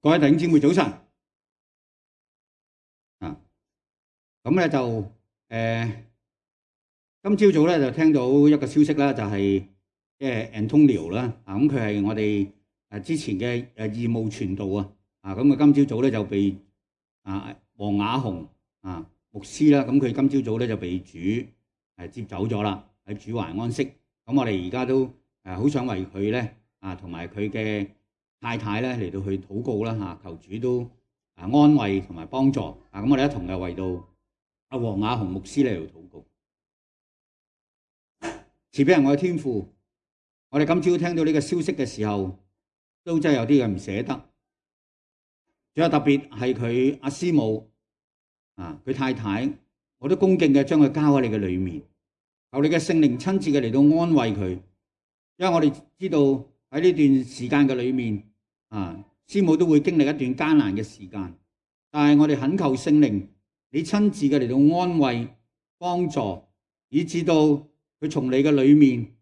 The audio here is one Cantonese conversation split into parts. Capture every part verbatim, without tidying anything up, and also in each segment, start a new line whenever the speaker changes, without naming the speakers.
各位弟兄姊妹早晨啊！咁咧就誒、呃，今朝早咧就聽到一個消息啦，就係即係 Antonio 啦啊！咁佢係我哋誒之前嘅誒義務傳道啊啊！咁佢今朝早咧就被啊黃雅雄啊牧師啦，咁佢今朝早咧就被主誒接走咗啦，喺主懷安息。咁我哋而家都誒好想為佢咧啊，同埋佢嘅太太咧嚟到去禱告啦嚇，求主都啊安慰同埋幫助啊！咁我哋一同嘅為到阿黃雅雄牧師嚟到禱告。慈悲人我嘅天父，我哋今朝聽到呢個消息嘅時候，都真係有啲嘅唔捨得。仲有特別係佢阿師母啊，佢太太，我都恭敬嘅將佢交喺你嘅裏面，求你嘅聖靈親自嘅嚟到安慰佢，因為我哋知道喺呢段時間嘅裏面。啊，師母都會經歷一段艱難嘅時間，但係我哋懇求聖靈，你親自嘅嚟到安慰、幫助，以至到佢從你嘅裏面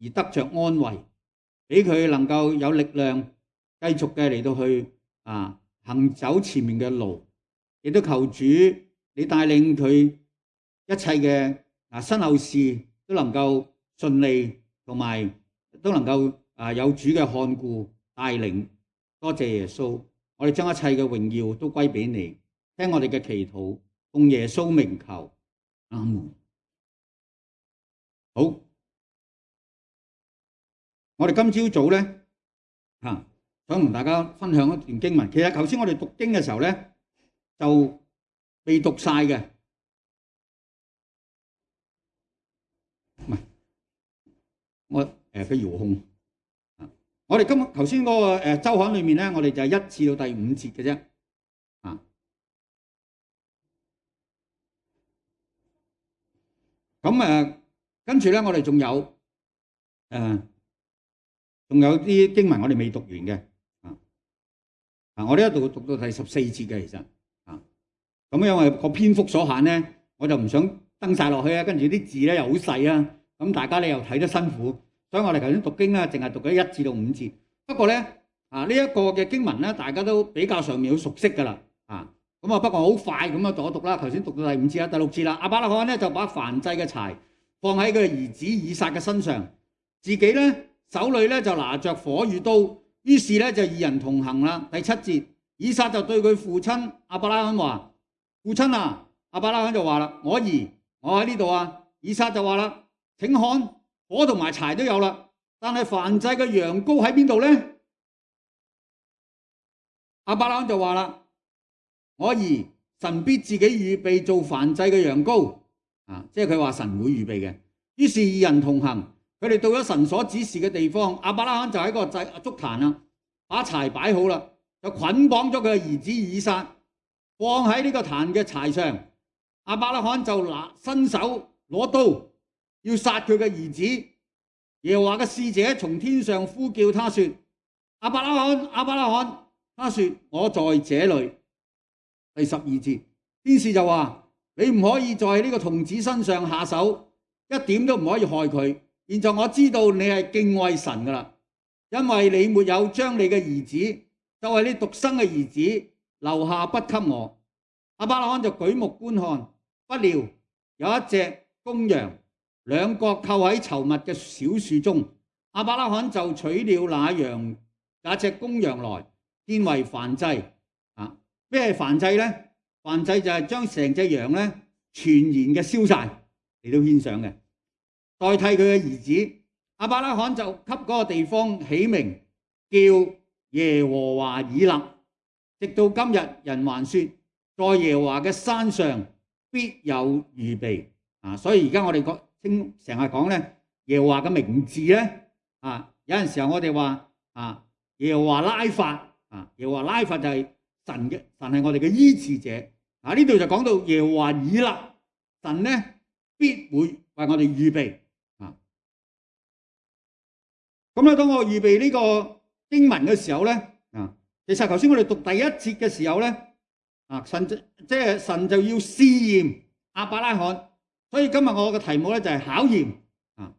而得着安慰，俾佢能夠有力量繼續嘅嚟到去啊行走前面嘅路，亦都求主你帶領佢一切嘅啊身後事都能夠順利，同埋都能夠啊有主嘅看顧帶領。多謝耶穌，我哋將一切嘅榮耀都歸俾你，聽我哋嘅祈禱，奉耶穌名求，阿門。好，我哋今朝早咧吓，想同大家分享一段經文。其實頭先我哋讀經嘅時候咧，就未讀晒嘅，唔係我誒嘅遙控。我哋今日頭先嗰個誒週刊裏面咧，我哋就係一至到第五節嘅啫，啊，咁誒跟住咧，我哋仲有誒，仲有啲經文我哋未讀完嘅，啊，啊，我呢一度讀到第十四節嘅，其實，啊，咁因為個篇幅所限咧，我就唔想登晒落去啊，跟住啲字咧又好細啊，咁大家咧又睇得辛苦。所以我哋頭先讀經咧，淨係讀咗一至到五節。不過咧，啊呢一個嘅經文咧，大家都比較上面好熟悉噶啦，啊咁啊，不過好快咁樣讀一讀啦。頭先讀到第五節啦，第六節啦。亞伯拉罕咧就把燔祭嘅柴放喺佢兒子以撒嘅身上，自己咧手裏咧就拿着火與刀，於是咧就二人同行啦。第七節，以撒就對佢父親亞伯拉罕話：父親啊！亞伯拉罕就話啦：我兒，我喺呢度啊。以撒就話啦：請看。火同埋柴都有啦，但係燔祭嘅羊羔喺邊度咧？亞伯拉罕就話啦：我兒，神必自己預備做燔祭嘅羊羔，啊，即係佢話神會預備嘅。於是二人同行，佢哋到咗神所指示嘅地方，亞伯拉罕就喺個祭築壇啊，把柴擺好啦，就捆綁咗佢嘅兒子以撒，放喺呢個壇嘅柴上。亞伯拉罕就拿伸手攞刀。要殺佢嘅兒子，耶和華嘅使者從天上呼叫他說：亞伯拉罕，亞伯拉罕，他說：我在這裏。第十二節，天使就話：你唔可以在呢個童子身上下手，一點都唔可以害佢。現在我知道你係敬畏神噶啦，因為你沒有將你嘅兒子，就係你獨生嘅兒子留下不給我。亞伯拉罕就舉目觀看，不料有一隻公羊，兩角扣喺稠密嘅小樹中，亞伯拉罕就取了那羊那隻公羊來，獻為燔祭。啊，咩係燔祭咧？燔祭就係將成隻羊咧全然嘅燒晒嚟到獻上嘅，代替佢嘅兒子。亞伯拉罕就給嗰個地方起名叫耶和華以勒，直到今日人還說，在耶和華嘅山上必有預備。啊，所以而家我哋講。聽成日講咧，耶和華嘅名字咧，啊，有陣時候我哋話啊，耶和華拉法，啊，耶和華拉法就係神嘅，神係我哋嘅醫治者。啊，呢度就講到耶和華以勒，神咧必會為我哋預備。啊，咁咧當我預備呢個經文嘅時候咧，啊，其實頭先我哋讀第一節嘅時候咧，啊，神即係神就要試驗亞伯拉罕。所以今日我嘅題目咧就係考驗啊，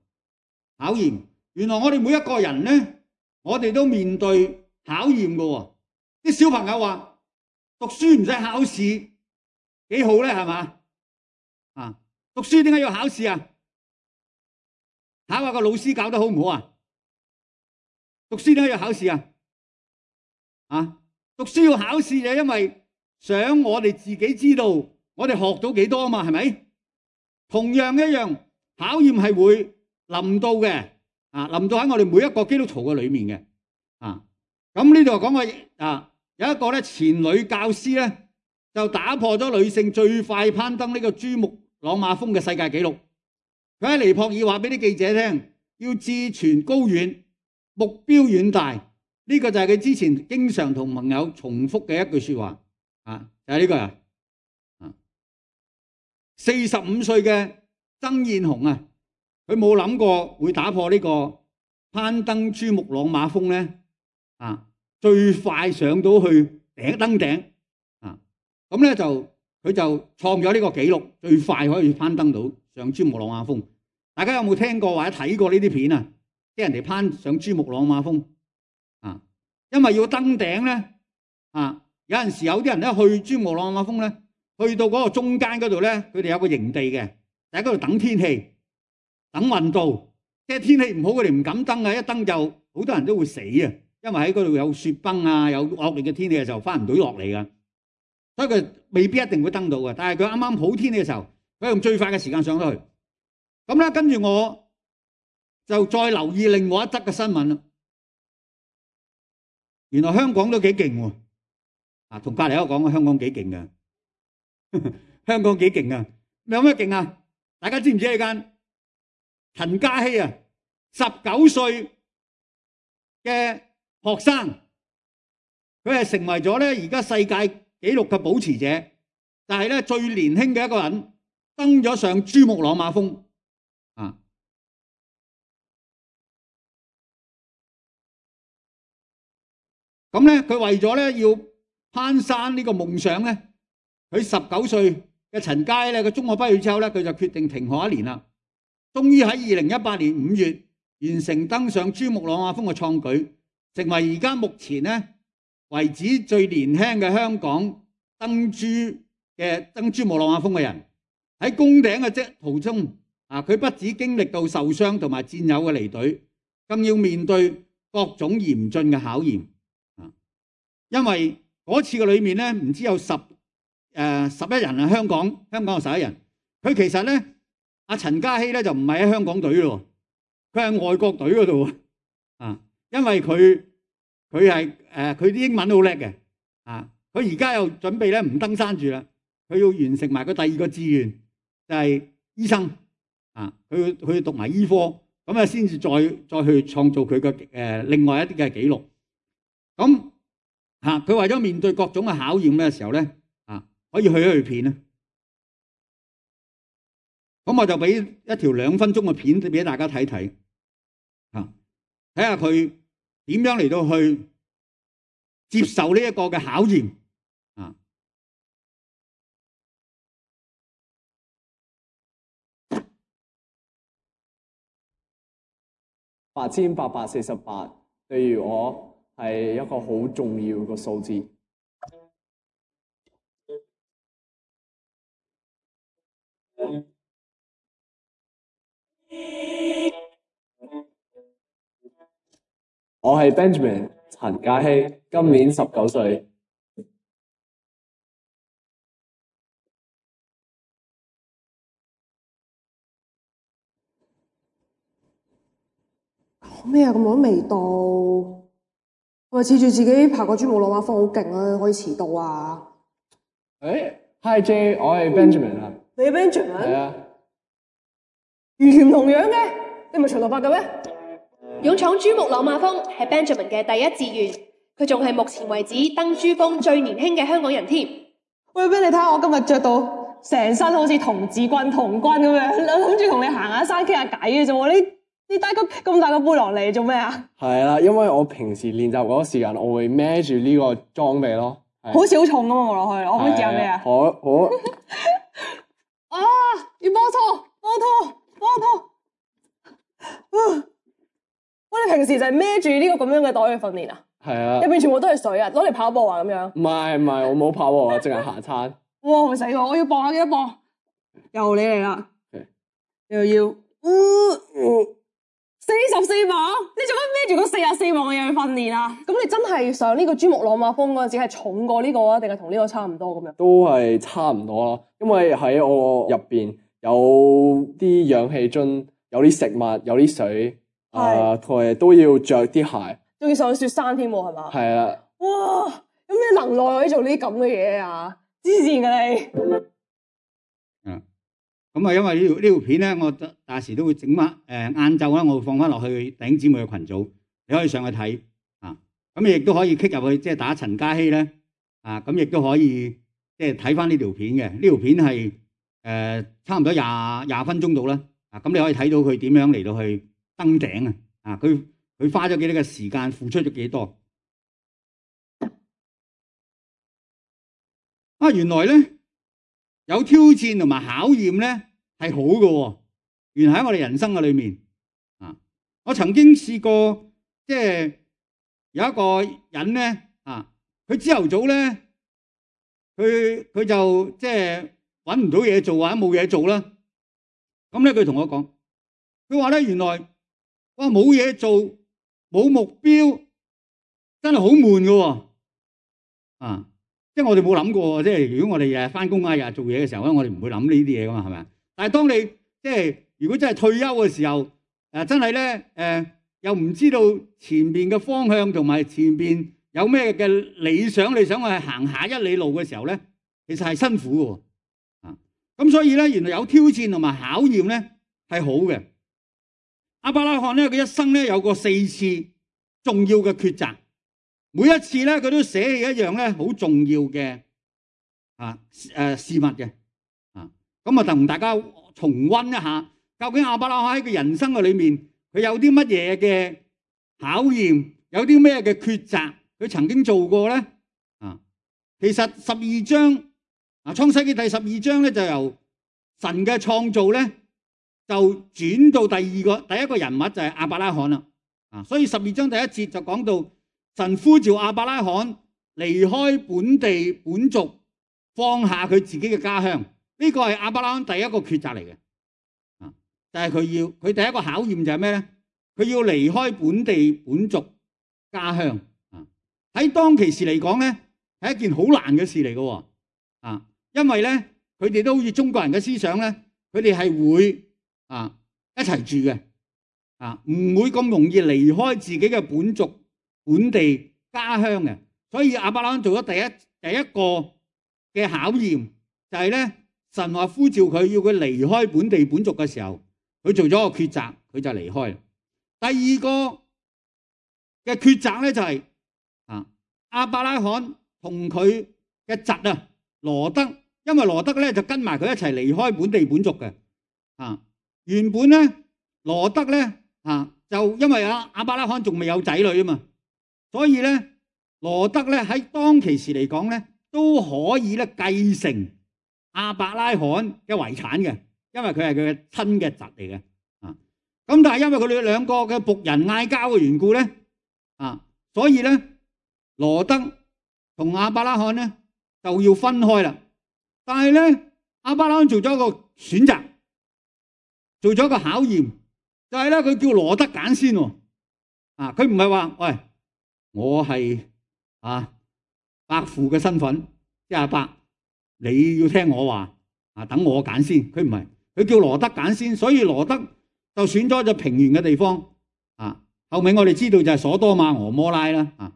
考驗。原來我哋每一個人咧，我哋都面對考驗嘅喎。啲啲小朋友話讀書唔使考試幾好咧，係嘛？啊，讀書點解要考試啊？考下個老師教得好唔好啊？讀書點解要考試啊？啊，讀書要考試就因為想我哋自己知道我哋學到幾多啊嘛，係咪？同樣一樣，考驗係會臨到嘅，啊，臨到喺我哋每一個基督徒嘅裏面嘅，啊，咁呢度講過啊，有一個咧前女教師咧就打破咗女性最快攀登呢個珠穆朗瑪峰嘅世界紀錄。佢喺尼泊爾話俾啲記者聽，要志存高遠，目標遠大，呢、這個就係佢之前經常同朋友重複嘅一句說話，啊，就係呢個啊。四十五歲嘅曾燕紅啊，佢冇諗過會打破呢個攀登珠穆朗瑪峰咧，啊，最快上到去頂登頂啊，咁咧就佢就創咗呢個紀錄，最快可以攀登到上珠穆朗瑪峰。大家有冇聽過或者睇過呢啲片啊？即係人哋攀上珠穆朗瑪峰啊，因為要登頂咧啊，有陣時有啲人咧去珠穆朗瑪峰咧。去到嗰個中間嗰度咧，佢哋有個營地嘅，就喺嗰度等天氣，等運到。即係天氣唔好，佢哋唔敢登啊！一登就好多人都會死啊，因為喺嗰度有雪崩啊，有惡劣嘅天氣嘅時候翻唔到落嚟噶。所以佢未必一定會登到嘅。但係佢啱啱好天氣嘅時候，佢用最快嘅時間上到去。咁咧，跟住我就再留意另外一則嘅新聞啦。原來香港都幾勁喎！啊，同隔離一個講香港幾勁嘅。香港幾勁啊！有咩勁啊？大家知唔知呢間陳嘉熙啊，十九歲嘅學生，佢係成為咗咧而家世界紀錄嘅保持者，但係咧最年輕嘅一個人登咗上珠穆朗瑪峰啊！咁咧佢為咗咧要攀山呢個夢想咧。佢十九歲嘅陳佳咧，佢中學畢業之後咧，佢就決定停學一年啦。終於喺二零一八年五月完成登上珠穆朗瑪峰嘅創舉，成為而家目前咧為止最年輕嘅香港登珠嘅登珠穆朗瑪峰嘅人。喺攻頂嘅即途中啊，佢不止經歷到受傷同埋戰友嘅離隊，更要面對各種嚴峻嘅考驗啊！因為嗰次嘅裏面咧，唔知有十。誒十一人啊，香港香港有十一人。佢其實咧，阿陳嘉熙咧就唔係喺香港隊咯，佢係外國隊嗰度啊。因為佢佢係誒佢啲英文好叻嘅啊。佢而家又準備咧唔登山住啦，佢要完成埋個第二個志願，就係醫生啊。佢佢讀埋醫科，咁啊先至再再去創造佢嘅誒另外一啲嘅紀錄。咁嚇佢為咗面對各種嘅考驗嘅時候咧。可以去一去片啊！咁我就俾一條兩分鐘嘅片俾大家睇睇，啊，睇下佢點樣嚟到去接受呢一個嘅考驗啊！
八千八百四十八，對於我係一個好重要嘅數字。我係 Benjamin 陳嘉熙，今年十九歲。
講咩啊？咁耐都未到，係咪恃住自己爬過珠穆朗瑪峰好勁啊？可以遲到啊？
誒 ，Hi J，我係 Benjamin 啊。
你係 Benjamin？
係啊。
完全唔同樣嘅，你唔係長頭髮嘅咩？
勇闖珠穆朗瑪峰係 Benjamin 嘅第一志願，佢仲係目前為止登珠峰最年輕嘅香港人添。
喂 Ben，你睇下我今日着到成身好似童子軍童軍咁樣，諗住同你行下山傾下偈嘅啫喎，你你帶個咁大個背囊嚟做咩啊？係
啦，因為我平時練習嗰個時間，我會孭住呢個裝備咯。
好似好重咁啊！望落去，我可以叫咩啊？
好，好。
啊！要幫拖，幫拖，幫拖。啊！我哋平時就係孭住呢個咁樣嘅袋去訓練啊？
係啊，
入邊全部都係水啊，攞嚟跑步啊咁樣。
唔係唔係，我冇跑步啊，淨係行餐。
哇死我！我要磅下幾多磅？又你嚟啦，又要四十四磅，你做乜孭住嗰四十四磅嘅嘢去訓練啊？咁你真係上呢個珠穆朗瑪峰嗰陣時係重過呢個啊，定係同呢個差唔多咁樣？
都係差唔多咯，因為喺我入邊有啲氧氣樽，有啲食物，有啲水，啊，同埋都要着啲鞋，
仲要上雪山添喎，係嘛？
係啊。
哇！有咩能耐可以做呢啲咁嘅嘢啊？黐線㗎你！
嗯，咁啊，因為呢條呢條片咧，我大時都會整翻誒晏晝啦，我會放翻落去弟兄姊妹嘅群組，你可以上去睇啊。咁你亦都可以 click 入去，即係打陳嘉熙咧啊。咁亦都可以即係睇翻呢條片嘅。呢條片係誒、呃、差唔多廿廿分鐘到啦啊。咁你可以睇到佢點樣嚟到去登頂啊。啊，佢佢花咗幾多嘅時間，付出咗幾多啊？原來咧有挑戰同埋考驗咧係好嘅喎。原來喺我哋人生嘅裏面啊，我曾經試過即係有一個人咧啊，佢朝頭早咧，佢佢就即係揾唔到嘢做或者冇嘢做啦。咁咧佢同我講，佢話咧原來哇冇嘢做冇目標真係好悶嘅喎啊！即係我哋冇諗過，即係如果我哋日日翻工啊，日日做嘢嘅時候咧，我哋唔會諗呢啲嘢噶嘛，係咪？但係當你即係如果真係退休嘅時候，誒真係咧誒又唔知道前邊嘅方向同埋前邊有咩嘅理想，你想去行下一里路嘅時候咧，其實係辛苦嘅啊！咁所以咧，原來有挑戰同埋考驗咧係好嘅。亞伯拉罕咧，佢一生咧有過四次重要嘅抉擇。每一次咧，佢都捨棄一樣咧好重要嘅啊誒事物嘅啊，咁啊同大家重溫一下，究竟亞伯拉罕喺佢人生嘅裏面，佢有啲乜嘢嘅考驗，有啲咩嘅抉擇，佢曾經做過咧啊？其實十二章啊，創世記第十二章咧就由神嘅創造咧，就轉到第二個第一個人物就係亞伯拉罕啦啊，所以十二章第一節就講到。神呼召亞伯拉罕離開本地本族，放下佢自己嘅家鄉。呢個係亞伯拉罕第一個抉擇嚟嘅，啊，但係佢要佢第一個考驗就係咩咧？佢要離開本地本族家鄉啊！喺當其時嚟講咧，係一件好難嘅事嚟嘅，啊，因為咧佢哋都好似中國人嘅思想咧，佢哋係會啊一齊住嘅，啊，唔會咁容易離開自己嘅本族。本地家鄉嘅，所以亞伯拉罕做咗第一第一個嘅考驗，就係咧神話呼召佢要佢離開本地本族嘅時候，佢做咗個抉擇，佢就離開。第二個嘅抉擇咧就係啊亞伯拉罕同佢嘅侄啊羅德，因為羅德咧就跟埋佢一齊離開本地本族嘅啊。原本咧羅德咧啊就因為阿亞伯拉罕仲未有仔女啊嘛。所以咧，羅德咧喺當其時嚟講咧，都可以咧繼承亞伯拉罕嘅遺產嘅，因為佢係佢嘅親嘅侄嚟嘅啊。咁但係因為佢哋兩個嘅僕人嗌交嘅緣故咧啊，所以咧羅德同亞伯拉罕咧就要分開啦。但係咧，亞伯拉罕做咗一個選擇，做咗一個考驗，就係咧佢叫羅德揀先喎啊，佢唔係話喂。我係啊伯父嘅身份，即係阿伯，你要聽我話啊，等我揀先。佢唔係，佢叫羅德揀先，所以羅德就選咗隻平原嘅地方啊。後尾我哋知道就係所多瑪俄摩拉啦啊。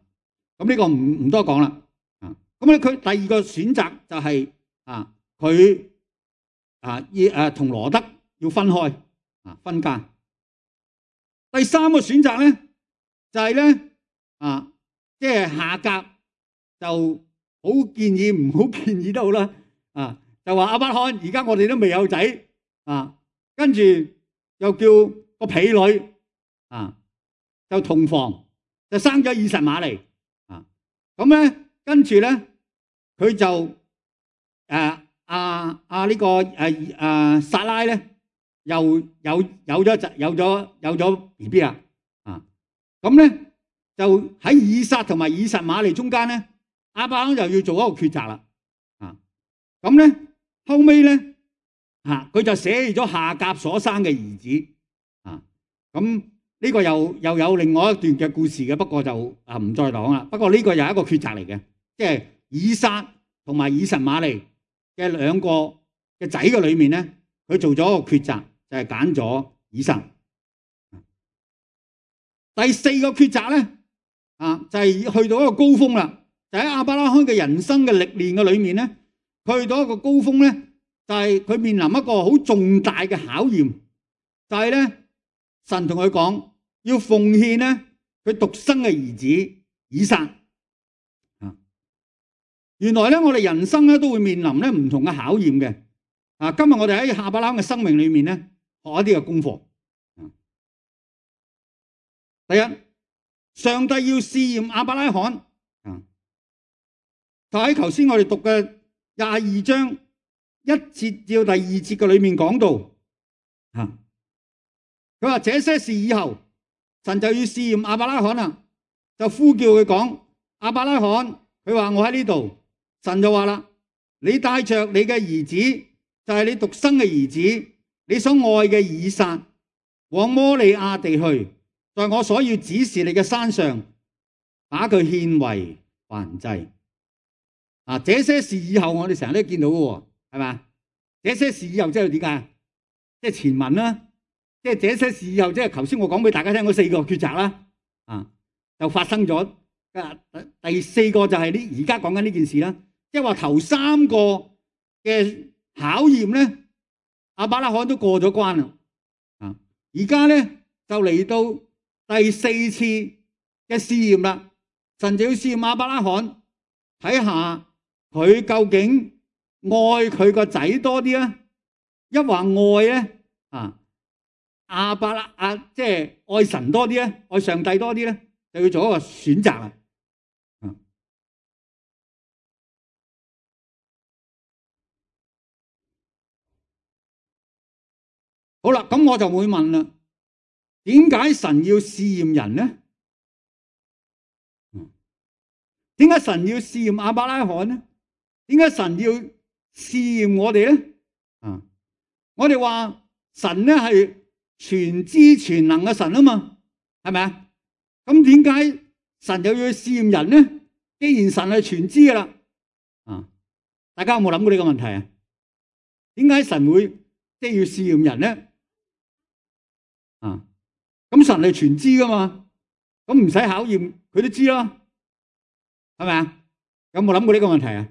咁呢個唔唔多講啦啊。咁咧佢第二個選擇就係啊，佢啊要誒同羅德要分開啊，分家。第三個選擇咧就係咧。啊，即係夏甲就好建議，唔好建議都好啦。啊，就話亞伯拉罕，而家我哋都未有仔啊，跟住又叫個婢女啊，就同房就生咗以實瑪利啊。咁咧，跟住咧，佢就誒阿阿呢個誒誒撒拉咧，又有有咗有咗有咗 B B 啦啊。咁咧。就喺以撒同埋以實瑪利中間咧，亞伯拉罕就要做一個抉擇啦。啊，咁咧後尾咧啊，佢就捨棄咗夏甲所生嘅兒子。啊，咁呢個又又有另外一段嘅故事嘅，不過就啊唔再講啦。不過呢個又係一個抉擇嚟嘅，即係以撒同埋以實瑪利嘅兩個嘅仔嘅裏面咧，佢做咗一個抉擇，就係揀咗以撒。第四個抉擇咧，啊就係去到一個高峰啦，就喺亞伯拉罕嘅人生嘅歷練嘅裏面咧，去到一個高峰咧，就係佢面臨一個好重大嘅考驗，就係咧神同佢講要奉獻咧佢獨生嘅兒子以撒。啊，原來咧我哋人生咧都會面臨咧唔同嘅考驗嘅。啊，今日我哋喺亞伯拉罕嘅生命裏面咧學一啲嘅功課。第一，上帝要試驗亞伯拉罕，啊，就喺頭先我哋讀嘅廿二章一節至到第二節嘅裏面講到，啊，佢話這些事以後，神就要試驗亞伯拉罕啦，就呼叫佢講，亞伯拉罕，佢話我喺呢度，神就話啦，你帶着你嘅兒子，就係你獨生嘅兒子，你所愛嘅以撒，往摩利亞地去。在我所要指示你嘅山上，把佢獻為燔祭。啊，這些事以後我哋成日都見到嘅，係嘛？這些事以後即係點解？即係前文啦，即係這些事以後，即係頭先我講俾大家聽嗰四個抉擇啦。啊，就發生咗。第四個就係呢，而家講緊呢件事啦。即係話頭三個嘅考驗咧，亞伯拉罕都過咗關啦。啊，而家咧就嚟到第四次嘅試驗啦，神就要試驗亞伯拉罕，睇下佢究竟愛佢個仔多啲啊，一話愛咧啊亞伯拉啊，即係愛神多啲咧，愛上帝多啲咧，就要做一個選擇啦。好啦，咁我就會問啦。點解神要試驗人呢？點解神要試驗亞伯拉罕呢？點解神要試驗我哋呢？啊，我哋話神咧係全知全能嘅神啊嘛，係咪啊？咁點解神又要試驗人呢？既然神係全知噶啦，啊，大家有冇諗過呢個問題啊？點解神會即係要試驗人呢？啊？咁神係全知噶嘛，咁唔使考驗佢都知啦，係咪啊？有冇諗過呢個問題啊？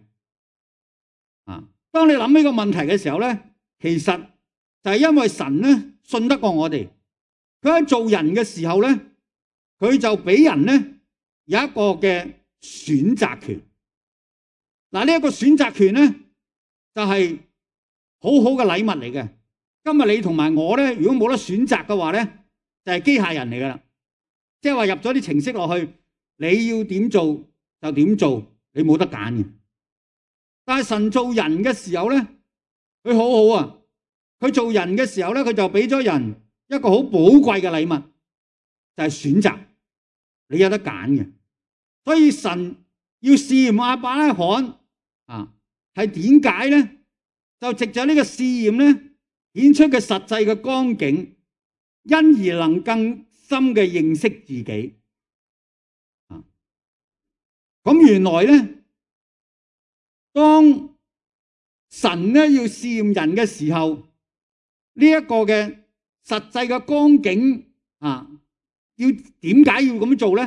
啊，當你諗呢個問題嘅時候咧，其實就係因為神咧信得過我哋，佢喺做人嘅時候咧，佢就俾人咧有一個嘅選擇權。嗱，呢一個選擇權咧就係好好嘅禮物嚟嘅。今日你同埋我咧，如果冇得選擇嘅話咧，就係機械人嚟噶啦，即係話入咗啲程式落去，你要點做就點做，你冇得揀嘅。但係神做人嘅時候咧，佢好好啊！佢做人嘅時候咧，佢就俾咗人一個好寶貴嘅禮物，就係選擇，你有得揀嘅。所以神要試驗亞伯拉罕啊，係點解咧？就藉著呢個試驗咧，顯出嘅實際嘅光景。因而能更深嘅認識自己。啊，咁原來咧，當神咧要試驗人嘅時候，呢一個嘅實際嘅光景啊，要點解要咁做咧？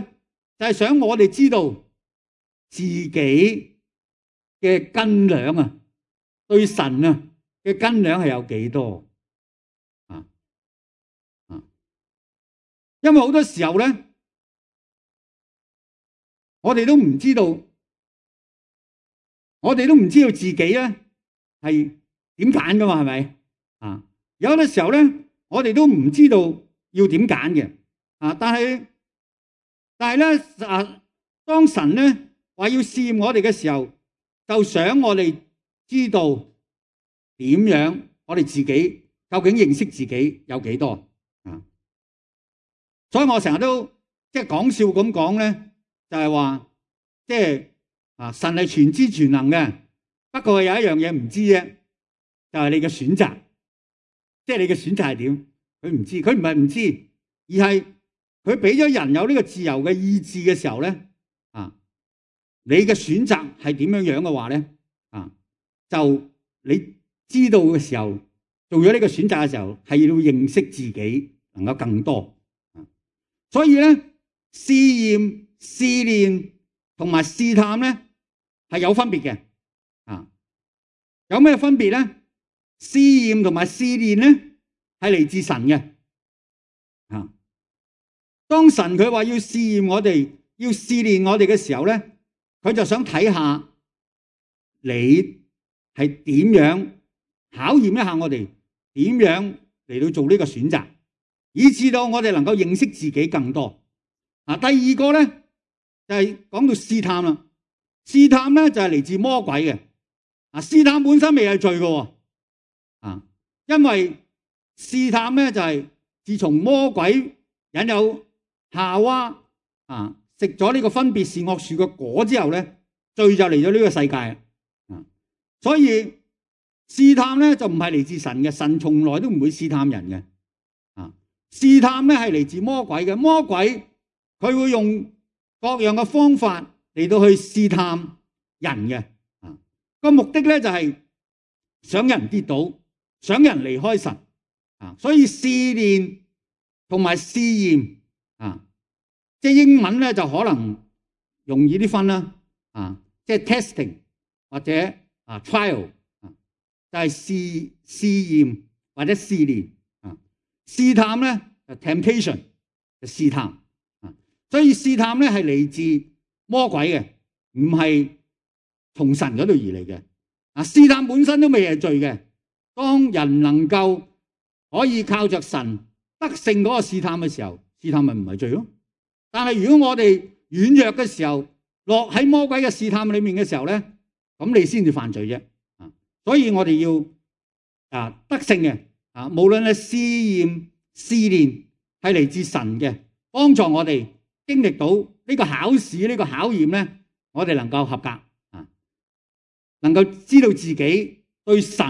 就係想我哋知道自己嘅斤兩啊，對神啊嘅斤兩係有幾多。因為好多時候咧，我哋都唔知道，我哋都唔知道自己咧係點揀噶嘛，係咪啊？有啲時候咧，我哋都唔知道要點揀嘅啊！但係但係咧啊，當神咧話要試驗我哋嘅時候，就想我哋知道點樣，我哋自己究竟認識自己有幾多啊？所以我成日都即即係講笑咁講咧，就係話即係啊神係全知全能嘅，不過有一樣嘢唔知啫，就係你嘅選擇，即係你嘅選擇係點，佢唔知，佢唔係唔知，而係佢俾咗人有呢個自由嘅意志嘅時候咧，啊，你嘅選擇係點樣樣嘅話咧，啊，就你知道嘅時候，做咗呢個選擇嘅時候，係要認識自己能夠更多。所以咧，試驗、試煉同埋試探咧係有分別嘅。啊，有咩分別咧？試驗同埋試煉咧係嚟自神嘅。啊，當神佢話要試驗我哋，要試煉我哋嘅時候咧，佢就想睇下你係點樣考驗一下我哋，點樣嚟到做呢個選擇，以致到我哋能夠認識自己更多。啊，第二個咧就係講到試探啦。試探咧就係嚟自魔鬼嘅。啊，試探本身未係罪嘅。啊，因為試探咧就係自從魔鬼引誘夏娃啊食咗呢個分別善惡樹嘅果之後咧，罪就嚟咗呢個世界。啊，所以試探咧就唔係嚟自神嘅，神從來都唔會試探人嘅。啊，試探咧係嚟自魔鬼嘅，魔鬼佢會用各樣嘅方法嚟到去試探人嘅。啊，個目的咧就係想人跌倒，想人離開神。啊，所以試煉同埋試驗啊，即係英文咧就可能容易啲分啦。啊，即係 testing 或者啊 trial。就係試試驗或者試煉啊，試探咧就 temptation 就試探啊，所以試探咧係嚟自魔鬼嘅，唔係從神嗰度而嚟嘅。啊，試探本身都未係罪嘅，當人能夠可以靠着神得勝嗰個試探嘅時候，試探咪唔係罪咯。但係如果我哋軟弱嘅時候，落喺魔鬼嘅試探裏面嘅時候咧，咁你先至犯罪啫。所以我哋要啊得勝嘅啊，無論係試驗、試煉，係嚟自神嘅，幫助我哋經歷到呢個考試、呢個考驗咧，我哋能夠合格啊，能夠知道自己對神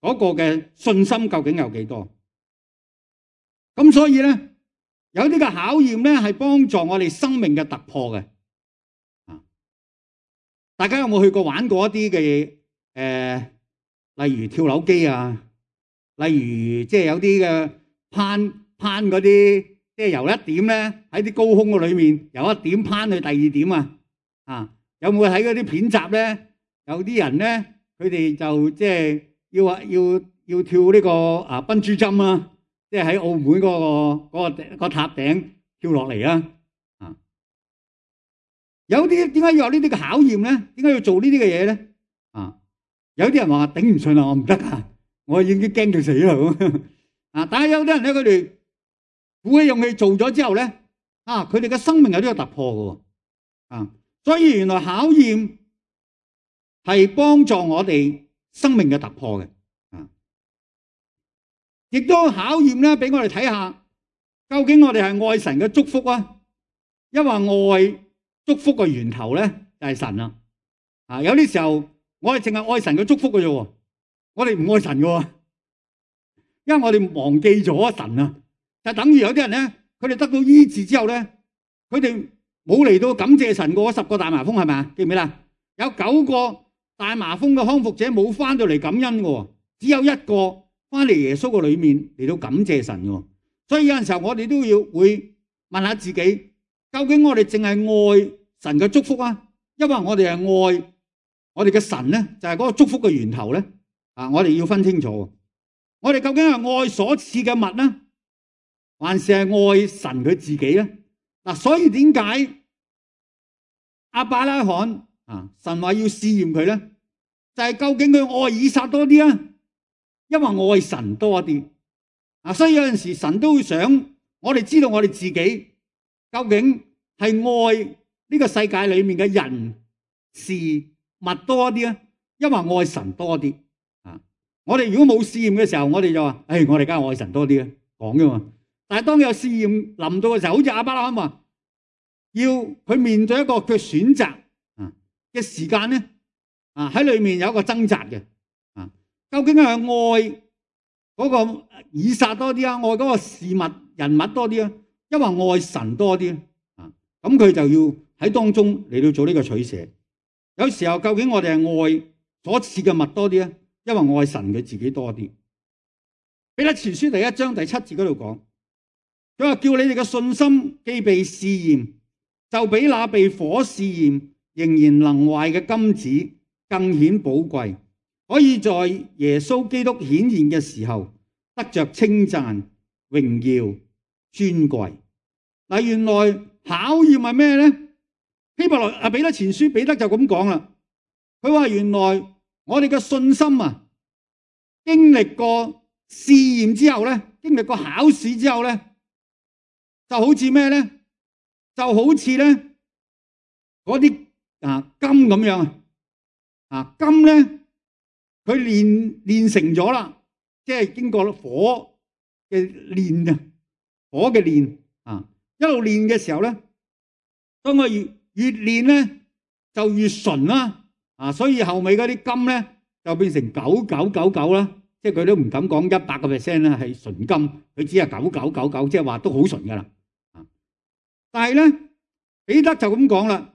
嗰個嘅信心究竟有幾多。咁所以咧，有啲嘅考驗咧係幫助我哋生命嘅突破嘅啊。大家有冇去過玩過一啲嘅誒？呃例如跳樓機啊，例如即係有啲嘅攀攀嗰啲，即係由一點咧喺啲高空嘅裏面，由一點攀去第二點啊！啊，有冇睇嗰啲片集咧？有啲人咧，佢哋就即係要啊要要跳呢個啊笨豬跳啊，即係喺澳門嗰個嗰個個塔頂跳落嚟啊！啊，有啲點解要有呢啲嘅考驗咧？點解要做呢啲嘅嘢咧？啊！有啲人話頂唔順啦，我唔得啊！我已經驚到死啦咁啊！但係有啲人咧，佢哋鼓起勇氣做咗之後咧，啊，佢哋嘅生命有呢個突破嘅啊！所以原來考驗係幫助我哋生命嘅突破嘅啊！亦都考驗咧，俾我哋睇下，究竟我哋係愛神嘅祝福啊，因為愛祝福嘅源頭咧就係神啦啊！有啲時候。我哋淨係愛神嘅祝福嘅啫，我哋唔愛神嘅，因為我哋忘記咗神啊。就等於有啲人咧，佢哋得到醫治之後咧，佢哋冇嚟到感謝神嗰十個大麻風係咪啊？記唔記得？有九個大麻風嘅康復者冇翻到嚟感恩嘅，只有一個翻嚟耶穌嘅裏面嚟到感謝神嘅。所以有陣時候我哋都要會問下自己，究竟我哋淨係愛神嘅祝福啊，因為我哋係愛。我哋嘅神咧就係嗰個祝福嘅源頭咧，啊！我哋要分清楚，我哋究竟係愛所賜嘅物咧，還是係愛神佢自己咧？嗱，所以點解亞伯拉罕啊，神話要試驗佢咧，就係究竟佢愛以撒多啲啊，因為愛神多啲啊！所以有陣時神都會想我哋知道我哋自己究竟係愛呢個世界裏面嘅人事物多啲啊，因為愛神多啲啊！我哋如果冇試驗嘅時候，我哋就話：，誒，我哋梗係愛神多啲啊，講噶嘛。但係當有試驗臨到嘅時候，好似亞伯拉罕話：，要佢面對一個佢選擇啊嘅時間咧，啊喺裏面有一個掙扎嘅啊，究竟係愛嗰個以撒多啲啊，愛嗰個事物人物多啲啊，抑或愛神多啲啊？咁佢就要喺當中嚟到做呢個取捨。有時候究竟我哋係愛所賜嘅物多啲啊，抑或愛神佢自己多啲？彼得前書第一章第七節嗰度講，佢話叫你哋嘅信心既被試驗，就比那被火試驗仍然能壞嘅金子更顯寶貴，可以在耶穌基督顯現嘅時候得着稱讚、榮耀、尊貴。嗱，原來考驗係咩咧？希伯來啊，彼得前書彼得就咁講啦。佢話原來我哋嘅信心啊，經歷過試驗之後咧，經歷過考試之後咧，就好似咩咧？就好似咧嗰啲啊金咁樣啊，啊金咧佢煉煉成咗啦，即係經過火嘅煉啊，火嘅煉啊，一路煉嘅時候咧，當我越越煉咧就越純啦，啊，所以後尾嗰啲金咧就變成九九九九啦。即係佢都唔敢講一百個 percent 咧係純金，佢只係九九九九，即係話都好純噶啦。但係咧，彼得就咁講啦，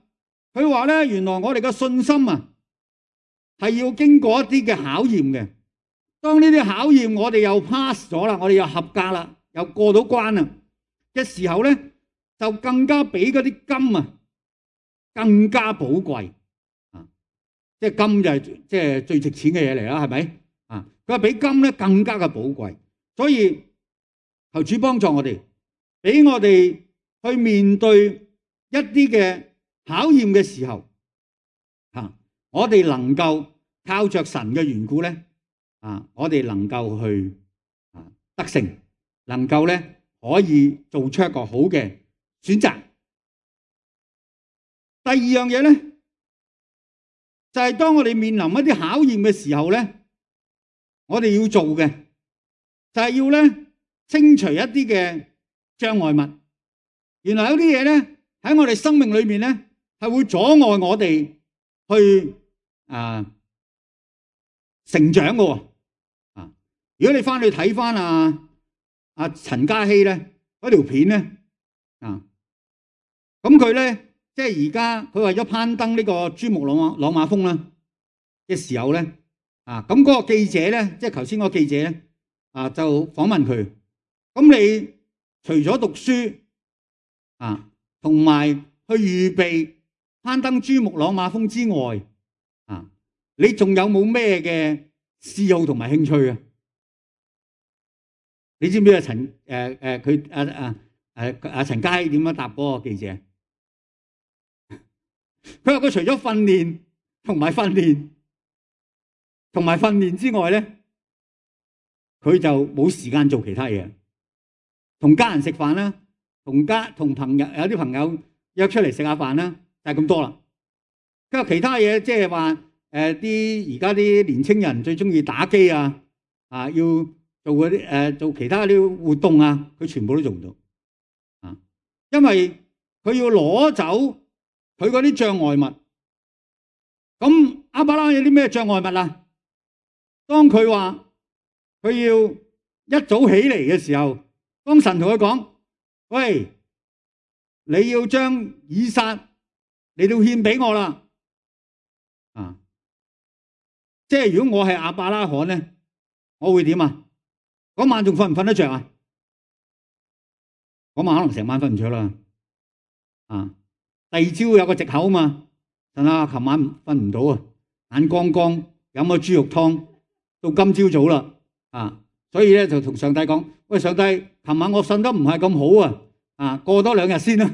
佢話咧，原來我哋嘅信心啊，係要經過一啲嘅考驗嘅。當呢啲考驗我哋又 pass 咗啦，我哋又合格啦，又過到關啦嘅時候咧，就更加比嗰啲金啊更加寶貴啊！即係金就係即係最值錢嘅嘢嚟啦，係咪？啊！佢話比金咧更加嘅寶貴，所以求主幫助我哋，俾我哋去面對一啲嘅考驗嘅時候，啊，我哋能夠靠着神嘅緣故咧，啊，我哋能夠去啊得勝，能夠咧可以做出一個好嘅選擇。第二樣嘢咧，就係當我哋面臨一啲考驗嘅時候咧，我哋要做嘅就係要咧清除一啲嘅障礙物。原來有啲嘢咧喺我哋生命裏面咧係會阻礙我哋去啊成長嘅。啊，如果你翻去睇翻啊阿陳嘉熙咧嗰條片咧啊，咁佢咧即係而家佢為咗攀登呢個珠穆朗瑪朗瑪峰啦嘅時候咧。啊，咁嗰個記者咧，即係頭先嗰個記者咧，啊就訪問佢。咁你除咗讀書啊，同埋去預備攀登珠穆朗瑪峰之外，啊，你仲有冇咩嘅嗜好同埋興趣啊？你知唔知啊？陳誒誒佢啊啊誒阿陳嘉熙點樣答嗰個記者？佢話佢除咗訓練同埋訓練。同埋訓練之外咧，佢就冇時間做其他嘢，同家人食飯啦，同家同朋友有啲朋友約出嚟食下飯啦，就係咁多啦。跟住其他嘢，即係話誒啲而家啲年青人最中意打機啊，啊要做嗰啲誒做其他啲活動啊，佢全部都做唔到啊，因為佢要攞走佢嗰啲障礙物。咁亞伯拉罕有啲咩障礙物啊？當佢話佢要一早起嚟嘅時候，當神同佢講：喂，你要將以撒嚟到獻俾我啦！啊，即係如果我係亞伯拉罕咧，我會點啊？嗰晚仲瞓唔瞓得着啊？嗰晚可能成晚瞓唔着啦。啊，第二朝有個藉口嘛，神啊，琴晚瞓唔到啊，眼光光飲咗豬肉湯。到今朝早啦，啊，所以咧就同上帝講：喂，上帝，琴晚我瞓得唔係咁好啊，啊，過多兩日先啦，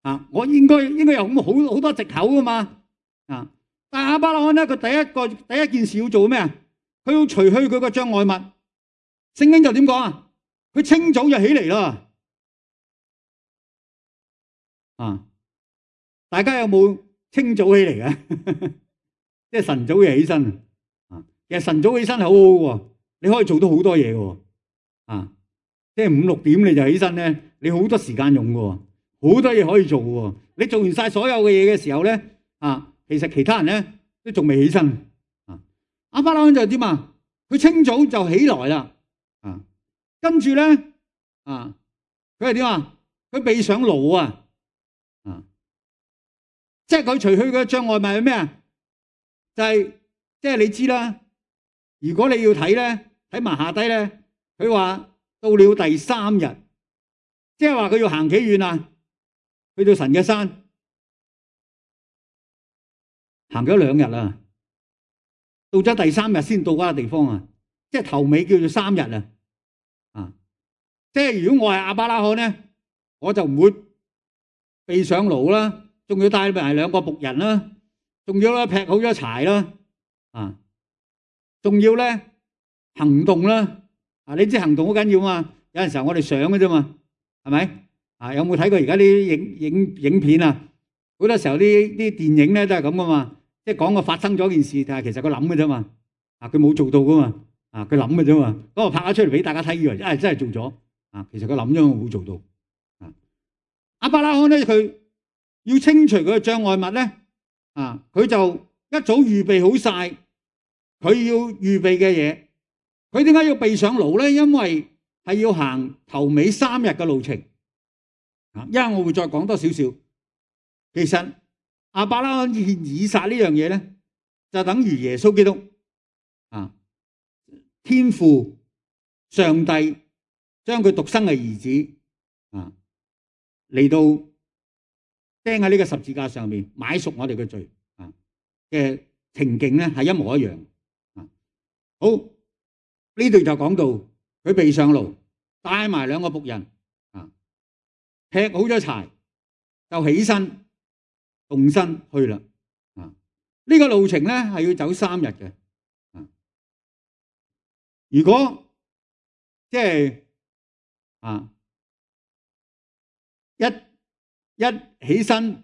啊，我應該應該有咁好好多藉口噶嘛，啊，但係亞伯拉罕咧，佢第一個第一件事要做咩啊？佢要除去佢個障礙物。聖經就點講啊？佢清早就起嚟啦，啊，大家有冇清早起嚟嘅？即係晨早就起身。其實晨早起身係好好嘅，你可以做到好多嘢嘅，啊，即係五六點你就起身咧，你好多時間用嘅，好多嘢可以做喎。你做完晒所有嘅嘢嘅時候咧，啊，其實其他人咧都仲未起身。啊，亞伯拉罕就點啊？佢清早就起來啦。啊，跟住咧，啊，佢係點啊？佢備上驢啊。啊，即係佢除去嘅障礙物係咩啊？就係即係你知啦。如果你要睇咧，睇埋下低咧，佢話到了第三日，即係話佢要行幾遠啊？去到神嘅山，行咗兩日啦，到咗第三日先到嗰個地方啊！即係頭尾叫做三日啊！啊，即係如果我係亞伯拉罕咧，我就唔會備上驢啦，仲要帶埋兩個僕人啦，仲要咧劈好咗柴啦，啊，仲要咧行動啦，啊，你知行動好緊要嘛？有陣時候我哋想嘅啫嘛，係咪？啊，有冇睇過而家啲影影影片啊？好多時候啲啲電影咧都係咁噶嘛，即係講個發生咗件事，但係其實佢諗嘅啫嘛，啊，佢冇做到噶嘛，啊，佢諗嘅啫嘛，咁我拍咗出嚟俾大家睇，以為啊真係做咗，啊，其實佢諗咗冇做到。啊，亞伯拉罕咧佢要清除佢嘅障礙物咧，啊，佢就一早預備好晒佢要預備嘅嘢。佢點解要備上驢咧？因為係要行頭尾三日嘅路程。啊，因為我會再講多少少。其實亞伯拉罕獻以撒呢樣嘢咧，就等於耶穌基督啊，天父上帝將佢獨生嘅兒子啊嚟到釘喺呢個十字架上面買贖我哋嘅罪啊嘅情景咧，係一模一樣啊。好，呢度就講到佢備上驢，帶埋兩個僕人啊，劈好咗柴就起身動身去啦。啊，呢個路程咧係要走三日嘅。啊，如果即係啊一一起身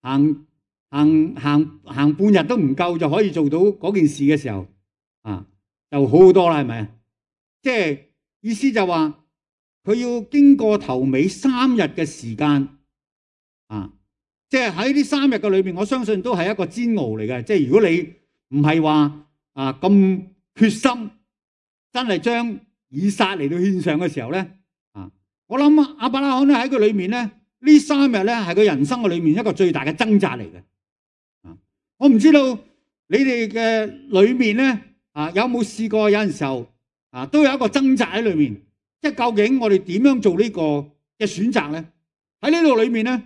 行行行行半日都唔夠就可以做到嗰件事嘅時候，啊就好好多啦，係咪啊？即係意思就話佢要經過頭尾三日嘅時間，啊，即係喺呢三日嘅裏邊，我相信都係一個煎熬嚟嘅。即係如果你唔係話啊咁決心，真係將以撒嚟到獻上嘅時候咧，啊，我諗亞伯拉罕咧喺佢裏面咧，呢三日咧係佢人生嘅裏面一個最大嘅掙扎嚟嘅。啊，我唔知道你哋嘅裏面咧，啊有冇試過有陣時候啊都有一個掙扎喺裏面，即係究竟我哋點樣做呢個嘅選擇咧？喺呢度裏面咧，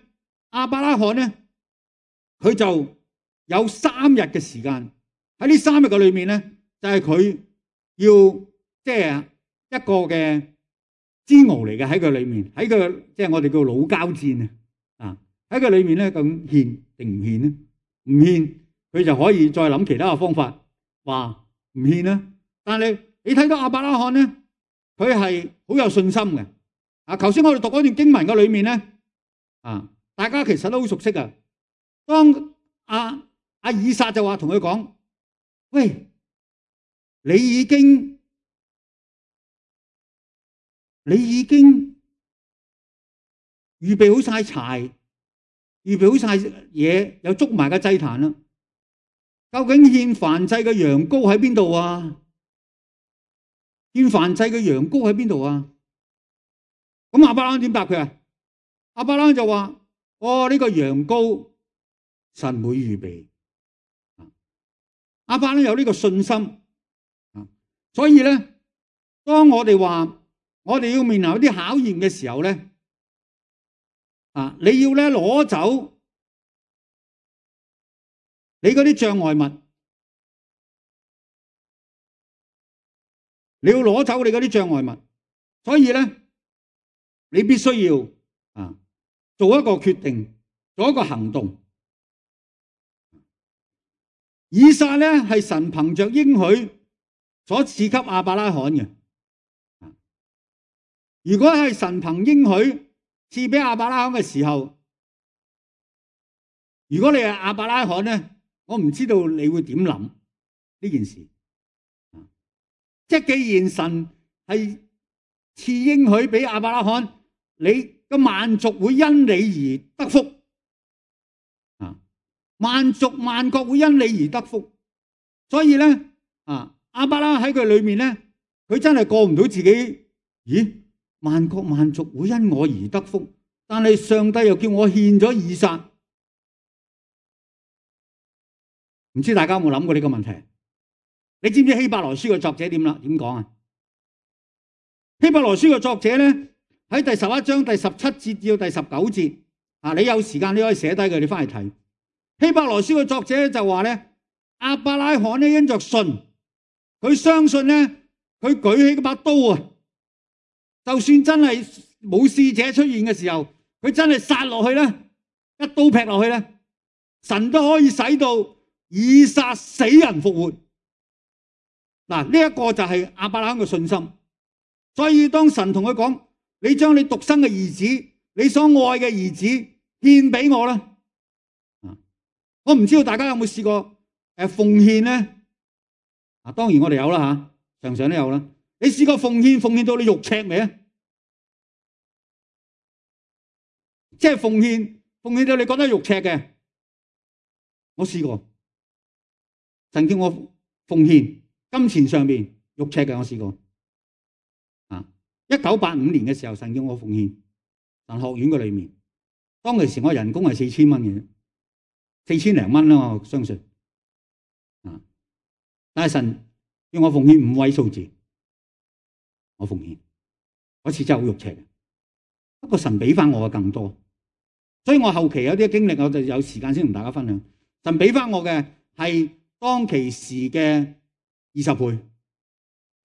亞伯拉罕咧，佢就有三日嘅時間，喺呢三日嘅裏面咧，就係佢要即係一個嘅煎熬嚟嘅，喺佢裏面，喺佢即係我哋叫老交戰啊！啊，喺佢裏面咧，咁獻定唔獻咧？唔獻，佢就可以再諗其他嘅方法，話唔獻啦。但係你睇到亞伯拉罕咧，佢係好有信心嘅。啊，頭先我哋讀嗰段經文嘅裏面咧，啊，大家其實都好熟悉啊。當阿阿以撒就話同佢講：喂，你已經你已經預備好晒柴，預備好晒嘢，又捉埋個祭壇啦。究竟獻燔祭嘅羊羔喺邊度啊？獻燔祭嘅羊羔喺邊度啊？咁亞伯拉罕點答佢啊？亞伯拉罕就話：哦，呢個羊羔神會預備。亞伯拉罕有呢個信心，所以咧，當我哋話我哋要面臨一啲考驗嘅時候咧，啊，你要咧攞走你嗰啲障礙物，你要攞走你嗰啲障礙物，所以咧，你必須要啊做一個決定，做一個行動。以撒咧係神憑着應許所賜給亞伯拉罕嘅。如果係神憑應許賜俾亞伯拉罕嘅時候，如果你係亞伯拉罕咧，我唔知道你會點諗呢件事。即係既然神係賜應許俾亞伯拉罕，你嘅萬族會因你而得福啊！萬族萬國會因你而得福，所以咧啊，亞伯拉喺佢裏面咧，佢真係過唔到自己。咦？萬國萬族會因我而得福，但係上帝又叫我獻咗以撒，唔知大家有冇諗過呢個問題？你知唔知希伯來書嘅作者點啦？點講啊？希伯來書嘅作者咧喺第十一章第十七節至到第十九節啊，你有時間你可以寫低佢，你翻嚟睇。希伯來書嘅作者就話咧，亞伯拉罕咧因着信，佢相信咧，佢舉起嗰把刀啊，就算真係冇使者出現嘅時候，佢真係殺落去咧，一刀劈落去咧，神都可以使到以撒死人復活。嗱，呢一個就係亞伯拉罕嘅信心。所以當神同佢講，你將你獨生嘅兒子，你所愛嘅兒子獻俾我啦。我唔知道大家有冇試過誒奉獻咧？啊，當然我哋有啦吓，常常都有啦。你試過奉獻奉獻到你肉赤未啊？即係奉獻奉獻到你覺得肉赤嘅，我試過。神叫我奉獻金錢上面肉赤嘅，我試過。啊，一九八五年嘅時候，神叫我奉獻神學院嘅裏面，當其時我人工係四千蚊嘅，四千零蚊啦，我相信。啊，但係神叫我奉獻五位數字，我奉獻嗰次真係好肉赤嘅。不過神俾翻我嘅更多，所以我後期有啲經歷，我就有時間先同大家分享。神俾翻我嘅係當其時嘅二十倍，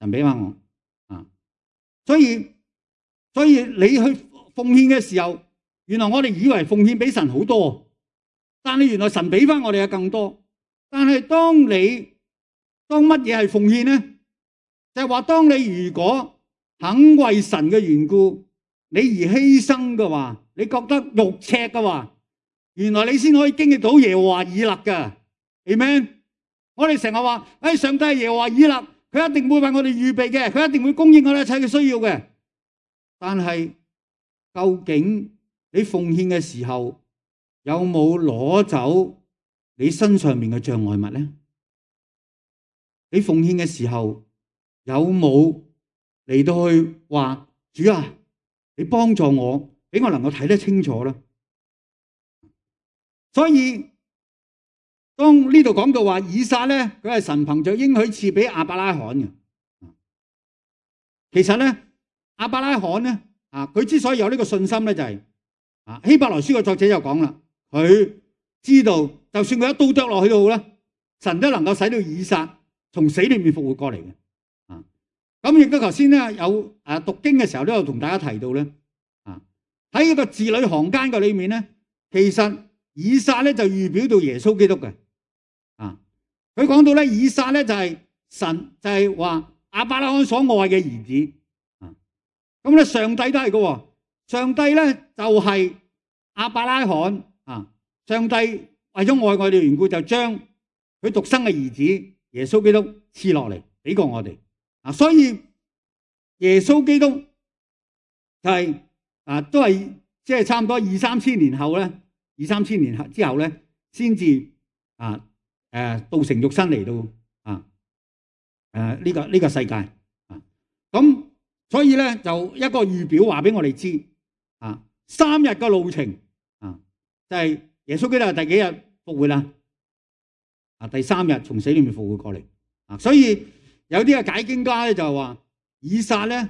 神俾翻我啊！所以所以你去奉獻嘅時候，原來我哋以為奉獻俾神好多，但係原來神俾翻我哋嘅更多。但係當你當乜嘢係奉獻呢？就係話當你如果肯為神嘅緣故，你而犧牲嘅話，你覺得肉赤嘅話，原來你先可以經歷到耶和華以勒嘅。Amen。我哋成日話，誒，上帝係耶和華以勒，佢一定會為我哋預備嘅，佢一定會供應我哋一切嘅需要嘅。但係究竟你奉獻嘅時候，有冇攞走你身上面嘅障礙物咧？你奉獻嘅時候，有冇嚟到去話主啊，你幫助我，俾我能夠睇得清楚啦。所以當呢度講到話以撒咧，佢係神憑着應許賜俾亞伯拉罕嘅。其實咧，亞伯拉罕咧啊，佢之所以有呢個信心咧，就係啊希伯來書嘅作者就講啦，佢知道就算佢一刀剁落去都好啦，神都能夠使到以撒從死裏面復活過嚟嘅。啊，咁亦都頭先咧有誒讀經嘅時候都有同大家提到咧，啊喺呢個字裏行間嘅裏面咧，其實以撒咧就預表到耶穌基督嘅。啊，佢講到咧以撒咧就係神就係話亞伯拉罕所愛嘅兒子。啊，咁咧上帝都係嘅，上帝咧就係亞伯拉罕。啊，上帝為咗愛我哋嘅緣故，就將佢獨生嘅兒子耶穌基督賜落嚟俾過我哋。啊，所以耶穌基督就係、是、啊都係即係差唔多二三千年後咧，二三千年之後咧，先至啊誒道成肉身嚟到啊誒呢個呢、這個世界啊。咁所以咧就一個預表話俾我哋知啊，三日嘅路程啊，就係、是、耶穌基督係第幾日復活啦？啊，第三日從死裏面復活過嚟啊。所以有啲嘅解經家咧就係話以撒咧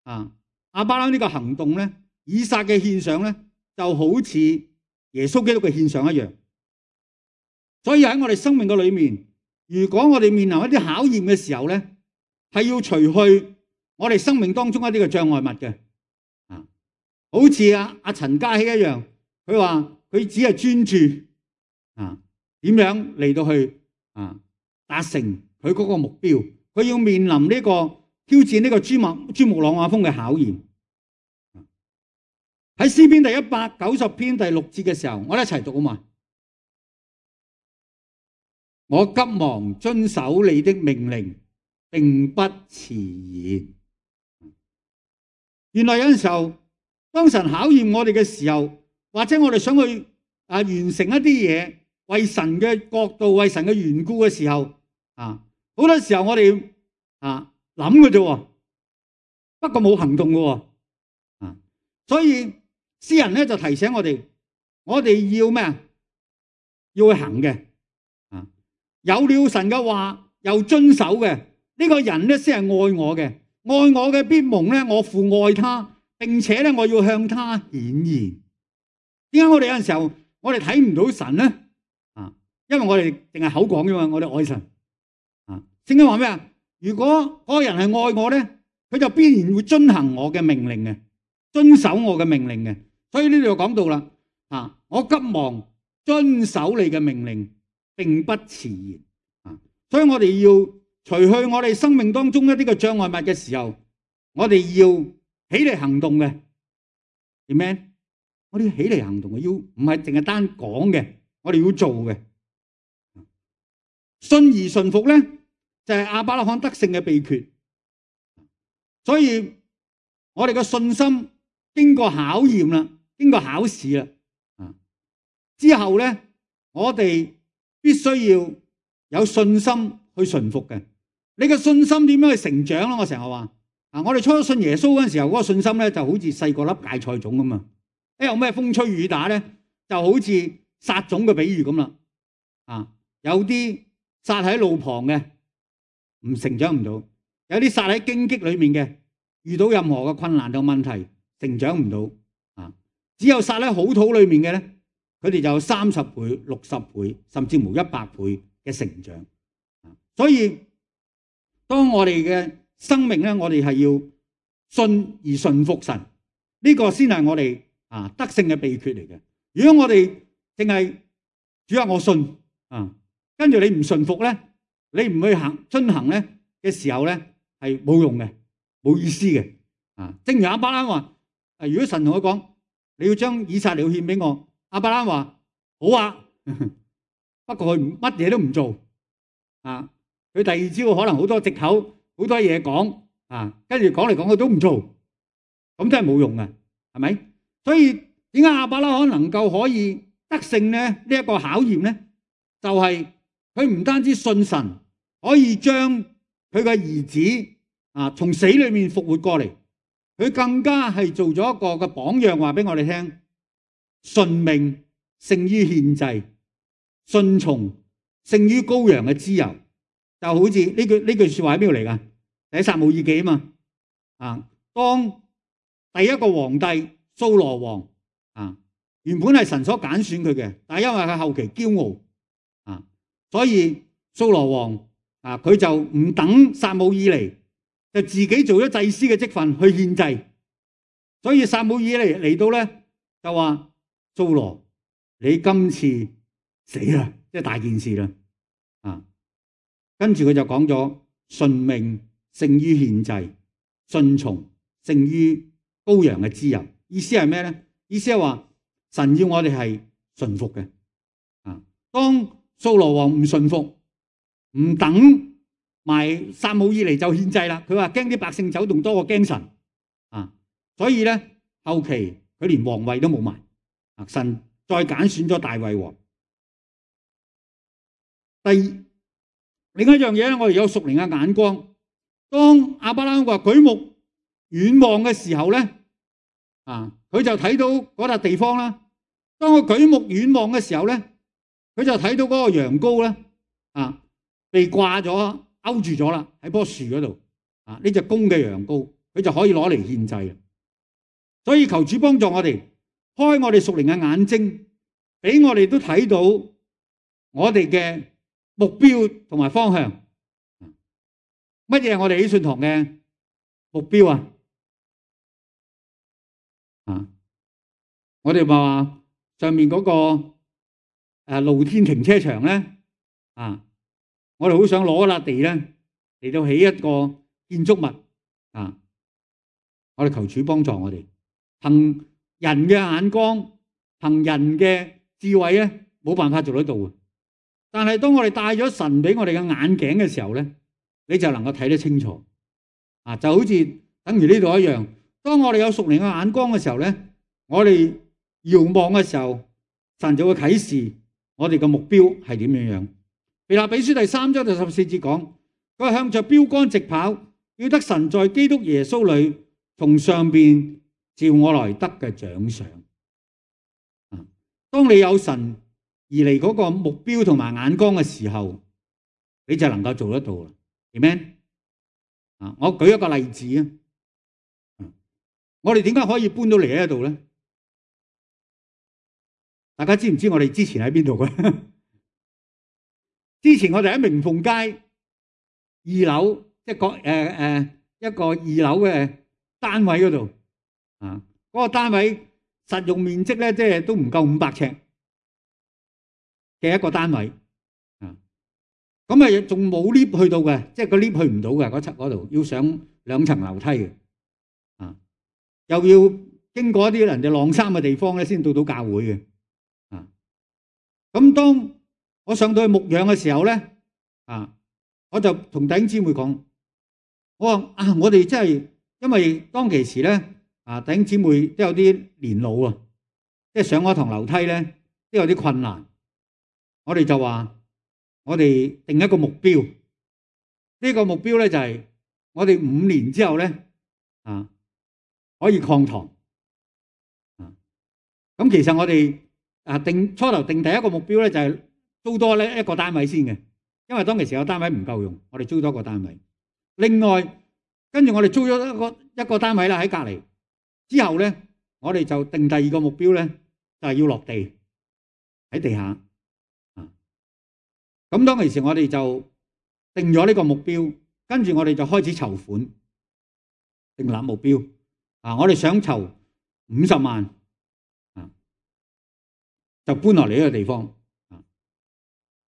啊亞伯拉罕呢個行動咧，以撒嘅獻上咧就好似耶穌基督嘅獻上一樣。所以喺我哋生命嘅裏面，如果我哋面臨一啲考驗嘅時候咧，係要除去我哋生命當中一啲嘅障礙物嘅。啊，好似阿阿陳嘉熙一樣，佢話佢只係專注啊點樣嚟到去啊達成佢嗰個目標，佢要面臨呢個挑戰呢個珠穆珠穆朗瑪峰嘅考驗。喺詩篇第一百九十篇第六節嘅時候，我哋一齊讀啊嘛。我急忙遵守你的命令，並不遲延。原來有陣時候當神考驗我哋嘅時候，或者我哋想去啊完成一啲嘢，為神嘅角度、為神嘅緣故嘅時候，啊，好多時候我哋啊諗嘅啫，不過冇行動嘅，啊，所以詩人咧就提醒我哋，我哋要咩啊？要去行嘅，啊，有了神嘅話又遵守嘅，呢個人咧先係愛我嘅，愛我嘅必蒙咧，我父愛他，並且咧我要向他顯現。點解我哋有陣時候我哋睇唔到神咧？啊，因為我哋淨係口講啫嘛，我哋愛神。啊，聖經話咩啊？如果嗰個人係愛我咧，佢就必然會遵行我嘅命令嘅，遵守我嘅命令嘅。所以呢度就講到啦，啊，我急忙遵守你嘅命令，並不遲延。啊，所以我哋要除去我哋生命當中一啲嘅障礙物嘅時候，我哋要起嚟行動嘅。Amen。我哋要起嚟行動嘅，要唔係淨係單講嘅，我哋要做嘅。信而順服咧，就係亞伯拉罕得勝嘅秘訣。所以我哋嘅信心經過考驗啦，經過考試啦，啊之後咧，我哋必須要有信心去順服嘅。你嘅信心點樣去成長咧？我成日話啊，我哋初信耶穌嗰陣時候，嗰個信心咧就好似細個粒芥菜種咁啊！一有咩風吹雨打咧，就好似撒種嘅比喻咁啦。啊，有啲撒喺路旁嘅，唔成長唔到；有啲撒喺荊棘裏面嘅，遇到任何嘅困難同問題，成長唔到。啊，只有撒喺好土裏面嘅咧，佢哋就有三十倍、六十倍，甚至乎一百倍嘅成長。啊，所以當我哋嘅生命咧，我哋係要信而順服神，呢個先係我哋啊得勝嘅秘訣嚟嘅。如果我哋淨係主啊我信啊，跟住你唔順服咧，你唔去行遵行咧嘅時候咧，係冇用嘅，冇意思嘅。啊，正如亞伯蘭話：啊，如果神同佢講你要將以撒嚟獻俾我，亞伯蘭話好啊，不過佢乜嘢都唔做。啊，佢第二朝可能好多藉口，好多嘢講啊，跟住講嚟講去都唔做，咁真係冇用嘅，係咪？所以點解亞伯拉罕能夠可以得勝咧？呢一個考驗咧，就係佢唔單止信神，可以將佢嘅兒子啊從死裏面復活過嚟，佢更加係做咗一個嘅榜樣，話俾我哋聽：順命勝於獻祭，順從勝於羔羊嘅脂油。就好似呢句呢句說話喺邊度嚟噶？喺撒母耳記啊嘛。啊，當第一個皇帝掃羅王啊，原本係神所揀選佢嘅，但係因為佢後期驕傲啊，所以掃羅王啊佢就唔等撒母耳嚟，就自己做咗祭司嘅職份去獻祭。所以撒母耳嚟嚟到咧就話：掃羅，你今次死啦，即係大件事啦啊！跟住佢就講咗順命勝於獻祭，順從勝於羔羊嘅脂油。意思係咩咧？意思係話神要我哋係順服嘅。啊，當掃羅王唔順服，唔等埋撒母耳嚟就獻祭啦。佢話驚啲百姓走動多過驚神。啊，所以咧後期佢連皇位都冇埋。啊，神再揀選咗大衛王。第二。另一樣嘢咧，我哋有屬靈嘅眼光。當亞伯拉罕話舉目遠望嘅時候咧，啊，佢就睇到嗰笪地方啦。當佢舉目遠望嘅時候咧，佢就睇到嗰個羊羔咧，啊，被掛咗勾住咗啦，喺棵樹嗰度。啊，呢隻公嘅羊羔，佢就可以攞嚟獻祭。所以求主幫助我哋，開我哋屬靈嘅眼睛，俾我哋都睇到我哋嘅目標同埋方向。乜嘢係我哋喜信堂嘅目標啊？啊，我哋話上面嗰個誒露天停車場咧，啊，我哋好想攞笪地咧嚟到起一個建築物啊！我哋求主幫助我哋，憑人嘅眼光，憑人嘅智慧咧，冇辦法做得到嘅。但係當我哋戴咗神俾我哋嘅眼鏡嘅時候咧，你就能夠睇得清楚啊！就好似等於呢度一樣，當我哋有屬靈嘅眼光嘅時候咧，我哋遙望嘅時候，神就會啟示我哋嘅目標係點樣樣。腓立比書第三章第十四節講，佢係向着標竿直跑，要得神在基督耶穌裏從上邊召我來得嘅獎賞。當你有神而嚟嗰個目標同埋眼光嘅時候，你就能夠做得到啦。Amen。啊，我舉一個例子啊，我哋點解可以搬到嚟呢度咧？大家知唔知我哋之前喺邊度嘅？之前我哋喺明鳳街二樓，即係個誒誒一個二樓嘅單位嗰度啊，嗰個單位實用面積咧，即係都唔夠五百尺嘅一個單位啊。咁啊，仲冇 lift 去到嘅，即係個 lift 去唔到嘅嗰層嗰度，要上兩層樓梯嘅啊，又要經過一啲人哋晾衫嘅地方咧，先到到教會嘅啊。咁當我上到去牧養嘅時候咧，啊，我就同弟兄姊妹講，我話啊，我哋真係因為當其時咧，啊，弟兄姊妹都有啲年老啊，即係上嗰堂樓梯咧都有啲困難，我哋就話我哋定一個目標，呢個目標咧就係我哋五年之後咧，啊，可以擴堂，啊，咁其實我哋啊定初頭定第一個目標咧就係租多咧一個單位先嘅，因為當其時個單位唔夠用，我哋租多個單位。另外，跟住我哋租咗一個一個單位啦喺隔離。之後咧，我哋就定第二個目標咧，就係要落地喺地下。啊，咁當其時我哋就定咗呢個目標，跟住我哋就開始籌款，訂立目標。啊，我哋想籌五十萬，啊，就搬落嚟呢個地方。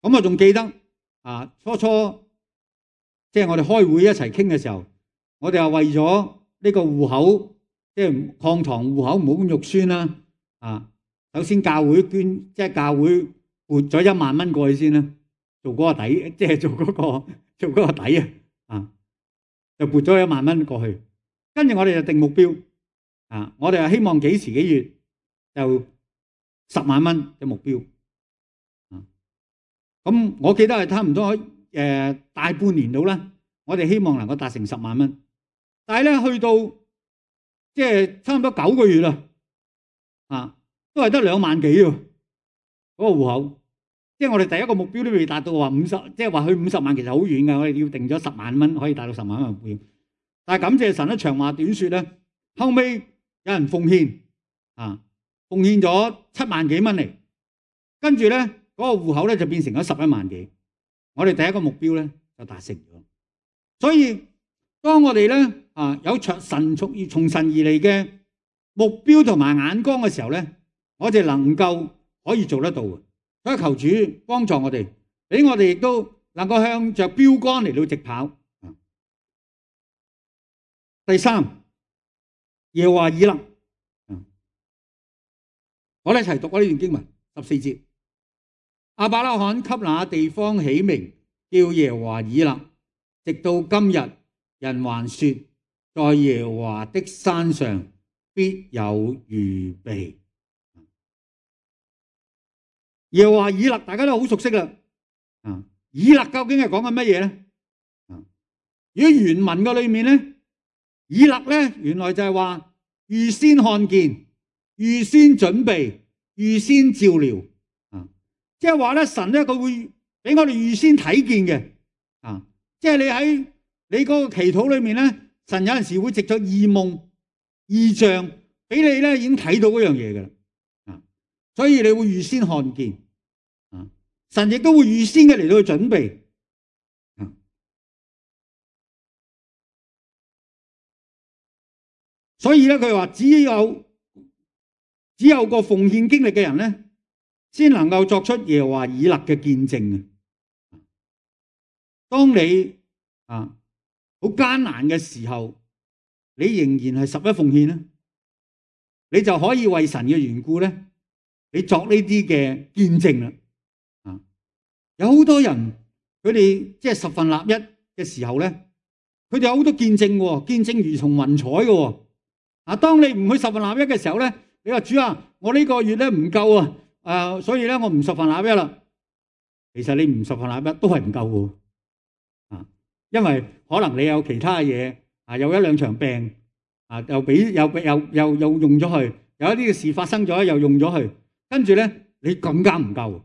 咁我仲記得啊，初初即係我哋開會一齊傾嘅時候，我哋係為咗呢個戶口，即係擴堂戶口唔好咁肉酸啦。啊，首先教會捐，即係教會撥咗一萬蚊過去先啦，做嗰個底，即係做嗰個做嗰個底啊。啊，就撥咗一萬蚊過去，跟住我哋就定目標。啊，我哋係希望幾時幾月就十萬蚊嘅目標。咁我記得係差唔多誒、呃、大半年到啦，我哋希望能夠達成十萬蚊，但係咧去到即係差唔多九個月啦，啊，都係得兩萬幾喎，嗰、那個戶口，即係我哋第一個目標都未達到話五十，即係話去五十萬其實好遠㗎，我哋要定咗十萬蚊可以達到十萬蚊目標，但係感謝神咧，長話短説咧，後尾有人奉獻啊，奉獻咗七萬幾蚊嚟，跟住咧。嗰個戶口咧就變成咗十一萬幾，我哋第一個目標咧就達成咗。所以當我哋咧啊有從神從從神而嚟嘅目標同埋眼光嘅時候咧，我哋能夠可以做得到嘅。所以求主幫助我哋，俾我哋亦都能夠向着標竿嚟到直跑。第三，耶和華以勒，我哋一齊讀呢段經文十四節。亞伯拉罕給那地方起名叫耶和華以勒，直到今日，人還說，在耶和華的山上必有預備。耶和華以勒大家都好熟悉啦。啊，以勒究竟係講緊乜嘢咧？啊，如果原文嘅裏面咧，以勒咧原來就係話預先看見、預先準備、預先照料。即係話咧，神咧佢會俾我哋預先睇見嘅，啊！即係你喺你嗰個祈禱裏面咧，神有陣時會藉咗異夢、異象俾你咧，已經睇到嗰樣嘢㗎啦，啊！所以你會預先看見，啊！神亦都會預先嘅嚟到去準備，啊！所以咧，佢話只有只有個奉獻經歷嘅人咧，先能夠作出耶和華以勒嘅見證。當你啊好艱難嘅時候，你仍然係十一奉獻咧，你就可以為神嘅緣故咧，你作呢啲嘅見證啦。啊，有好多人佢哋即係十分立一嘅時候咧，佢哋有好多見證喎，見證如同雲彩嘅喎。啊，當你唔去十分納一嘅時候咧，你話主啊，我呢個月咧唔夠啊，誒，所以咧我唔十分納一啦。其實你唔十分納一都係唔夠嘅，啊，因為可能你有其他嘢啊，有一兩場病啊，又俾又又又又用咗去，有一啲嘅事發生咗又用咗去，跟住咧你更加唔夠。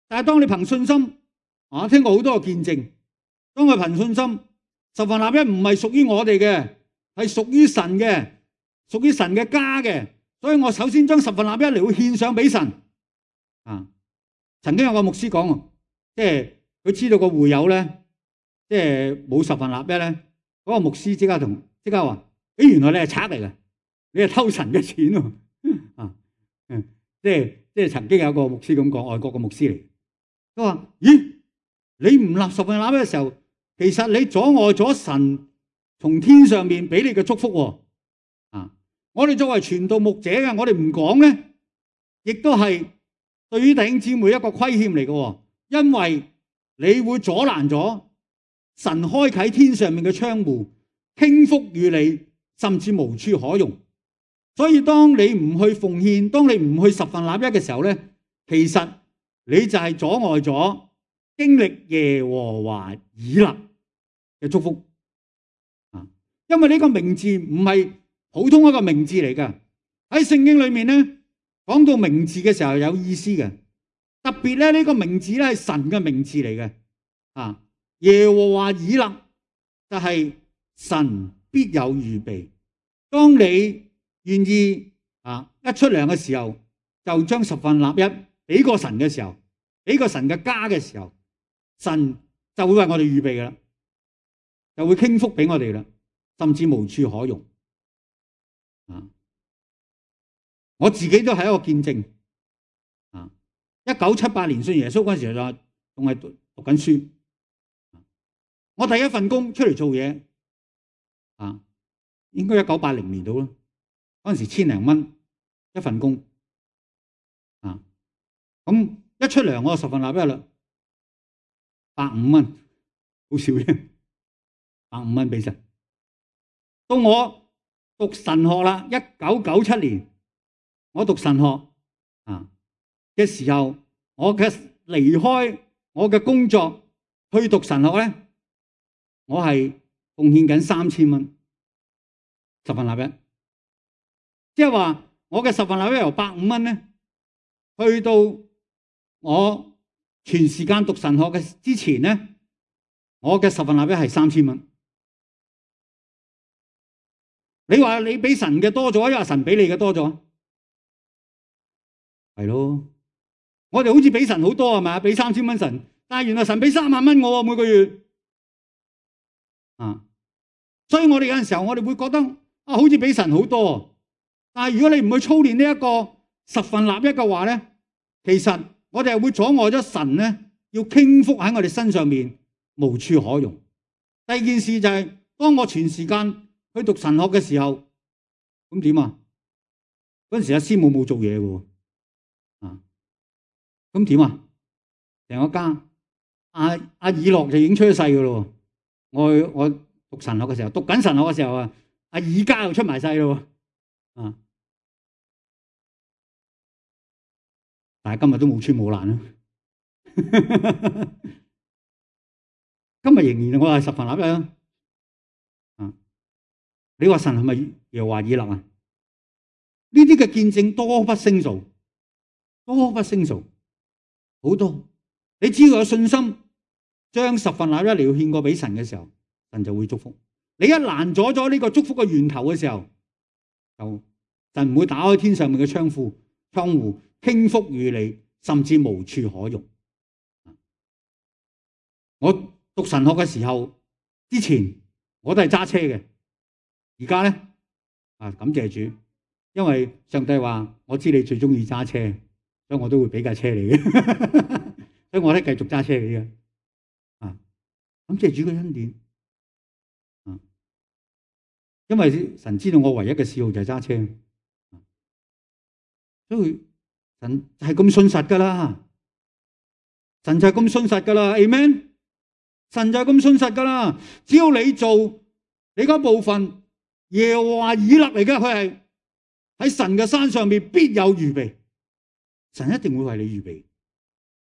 但係當你憑信心，啊，聽過好多個見證，當佢憑信心，十分納一唔係屬於我哋嘅，係屬於神嘅，屬於神嘅家嘅，所以我首先將十分納一嚟去獻上俾神。啊，曾經有個牧師講，即係佢知道個會友咧，即係冇十分納一咧，嗰個牧師即刻同即刻話：誒，原來你係賊嚟嘅，你係偷神嘅錢喎！啊，嗯，即係即係曾經有個牧師咁講，外國嘅牧師嚟，佢話：咦，你唔立十分納一嘅時候，其實你阻礙咗神從天上面俾你嘅祝福喎。啊，我哋作為傳道牧者嘅，我哋唔講咧，亦都係對於弟兄姊妹一個虧欠嚟嘅，因為你會阻攔咗神開啟天上面嘅窗戶，傾福與你，甚至無處可容。所以當你唔去奉獻，當你唔去十分納一嘅時候咧，其實你就係阻礙咗經歷耶和華以勒嘅祝福。啊，因為呢個名字唔係普通一個名字嚟㗎，喺聖經裏面咧。講到名字嘅時候有意思嘅，特別咧呢個名字咧係神嘅名字嚟嘅，啊，耶和華以勒就係神必有預備。當你願意啊一出糧嘅時候，就將十分納一俾個神嘅時候，俾個神嘅家嘅時候，神就會為我哋預備噶啦，就會傾福俾我哋啦，甚至無處可容。啊！我自己都係一個見證，啊！一九七八年信耶穌嗰陣時就仲係讀讀緊書，我第一份工出嚟做嘢，啊，應該一九八零年到啦，嗰陣時千零蚊一份工，啊，咁一出糧我就十分納一啦，百五蚊，好少啫，百五蚊俾神。到我讀神學啦，一九九七年。我讀神學啊嘅時候，我嘅離開我嘅工作去讀神學咧，我係奉獻緊三千蚊十分納一，即係話我嘅十分納一由百五蚊咧，去到我全時間讀神學嘅之前咧，我嘅十分納一係三千蚊。你話你俾神嘅多咗，抑或神俾你嘅多咗？係咯，我哋好似俾神好多係嘛，俾三千蚊神，但係原來神俾三萬蚊我每個月，啊，所以我哋有陣時候我哋會覺得啊，好似俾神好多，但係如果你唔去操練呢一個十分納一嘅話咧，其實我哋係會阻礙咗神咧要傾福喺我哋身上面，無處可容。第二件事就係、是、當我全時間去讀神學嘅時候，咁點啊？嗰陣時阿師母冇做嘢喎。啊，咁點啊？成個家，阿阿以諾就已經出咗世噶咯。我我讀神學嘅時候，讀緊神學嘅時候啊，阿以家又出埋世咯。啊，但係今日都冇穿冇爛啦。今日仍然我係十分納一啊。啊，你話神係咪耶和華以勒啊？呢啲嘅見證多不勝數。多不勝數，好多。你只要有信心，將十分納一嚟獻過俾神嘅時候，神就會祝福。你一攔阻咗呢個祝福嘅源頭嘅時候，就神唔會打開天上面嘅窗戶，窗戶傾福與你，甚至無處可容。我讀神學嘅時候，之前我都係揸車嘅，而家咧啊，感謝主，因為上帝話我知你最中意揸車。所以我都會俾架車你嘅，所以我咧繼續揸車嘅啫。啊，咁即係主嘅恩典。啊，因為神知道我唯一嘅嗜好就係揸車，所以神就係咁信實噶啦。神就係咁信實噶啦 ，Amen。神就係咁信實噶啦。只要你做你嗰部分，耶和華以勒嚟嘅，佢係喺神嘅山上面必有預備，神一定會為你預備，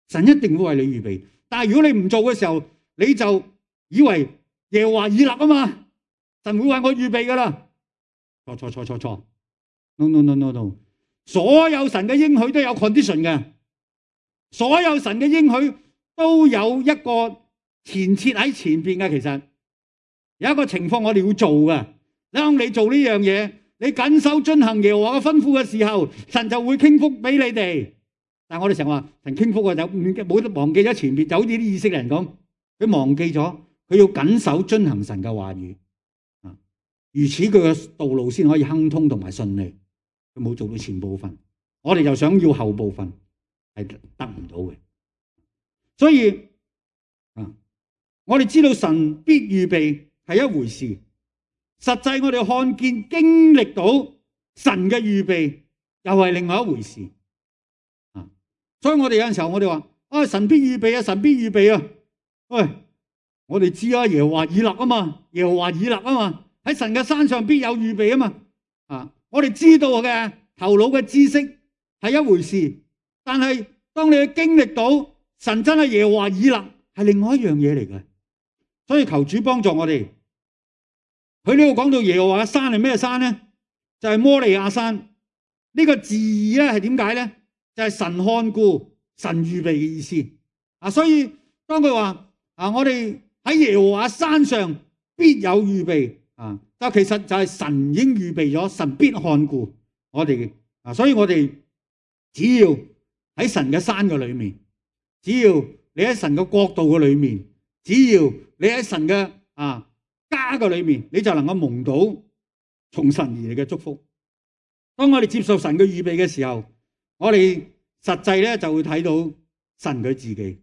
神一定會為你預備。但係如果你唔做嘅時候，你就以為耶和華以勒啊嘛，神會為我預備噶啦，錯錯錯錯錯 ，no no no no no， 所有神嘅應許都有 condition 嘅，所有神嘅應許都有一個前設喺前邊嘅。其實有一個情況我哋要做嘅，當你做呢樣嘢，你謹守遵行耶和華嘅吩咐嘅時候，神就會傾福俾你哋。但係我哋成日話神傾福啊，就冇得忘記咗前邊，就好似啲以色列人咁，佢忘記咗佢要謹守遵行神嘅話語啊，如此佢嘅道路先可以亨通同埋順利。佢冇做到前部分，我哋就想要後部分，係得唔到嘅。所以啊，我哋知道神必預備係一回事，實際我哋看見經歷到神嘅預備又係另外一回事啊。所以我哋有陣時候我哋話啊，神必預備啊，神必預備啊。喂，我哋知啊，耶和華以勒啊嘛，耶和華以勒啊嘛，喺神嘅山上必有預備啊嘛。啊，我哋知道嘅頭腦嘅知識係一回事，但係當你去經歷到神真係耶和華以勒，係另外一樣嘢嚟嘅。所以求主幫助我哋。佢呢度講到耶和華嘅山係咩山咧？就係摩利亞山。呢個字義咧係點解咧？就係神看顧、神預備嘅意思啊。所以當佢話啊，我哋喺耶和華山上必有預備啊，但其實就係神已經預備咗，神必看顧我哋啊。所以我哋只要喺神嘅山嘅裏面，只要你喺神嘅國度嘅裏面，只要你喺神嘅啊家嘅裏面，你就能夠蒙到從神而嚟嘅祝福。當我哋接受神嘅預備嘅時候，我哋實際咧就會睇到神佢自己，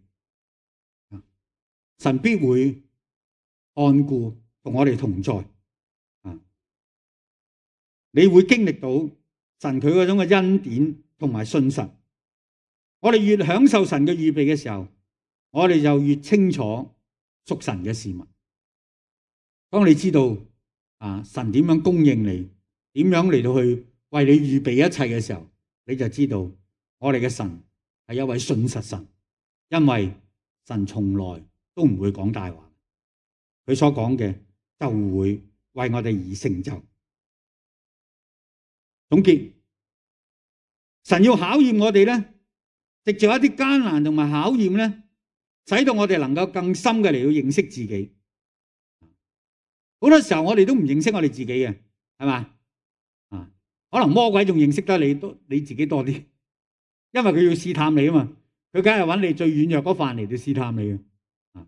神必會看顧同我哋同在啊！你會經歷到神佢嗰種嘅恩典同埋信實。我哋越享受神嘅預備嘅時候，我哋就越清楚屬神嘅事物。當你知道啊神點樣供應你，點樣嚟到去為你預備一切嘅時候，你就知道我哋嘅神係一位信實神，因為神從來都唔會講大話，佢所講嘅就會為我哋而成就。總結，神要考驗我哋咧，藉着一啲艱難同埋考驗咧，使到我哋能夠更深嘅嚟到認識自己。好多時候我哋都唔認識我哋自己嘅，係嘛？啊，可能魔鬼仲認識得你多，你自己多啲，因為佢要試探你啊嘛，佢梗係揾你最軟弱嗰範嚟到試探你嘅。啊，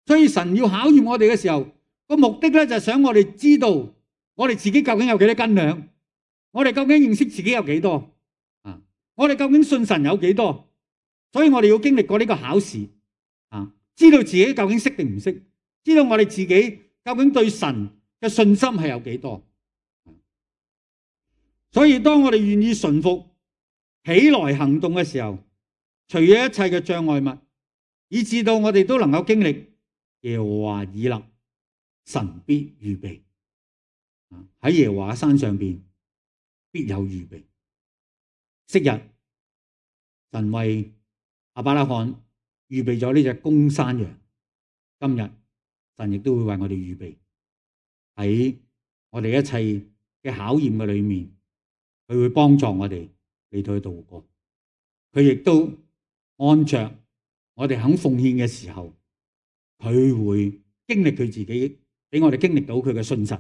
所以神要考驗我哋嘅時候，個目的咧就係想我哋知道我哋自己究竟有幾多斤兩，我哋究竟認識自己有幾多啊？我哋究竟信神有幾多？所以我哋要經歷過呢個考試啊，知道自己究竟識定唔識，知道我哋自己究竟對神嘅信心係有幾多。所以當我哋願意順服起來行動嘅時候，除咗一切嘅障礙物，以致到我哋都能夠經歷耶和華以勒，神必預備喺耶和華山上邊必有預備。昔日神為亞伯拉罕預備咗呢隻公山羊，今日神亦都會為我哋預備喺我哋一切嘅考驗嘅裏面，佢會幫助我哋嚟到去度過。佢亦都按着我哋肯奉獻嘅時候，佢會經歷佢自己，俾我哋經歷到佢嘅信實。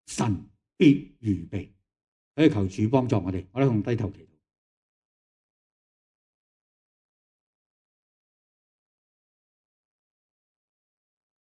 神必預備，所以求主幫助我哋，我哋同低頭祈禱。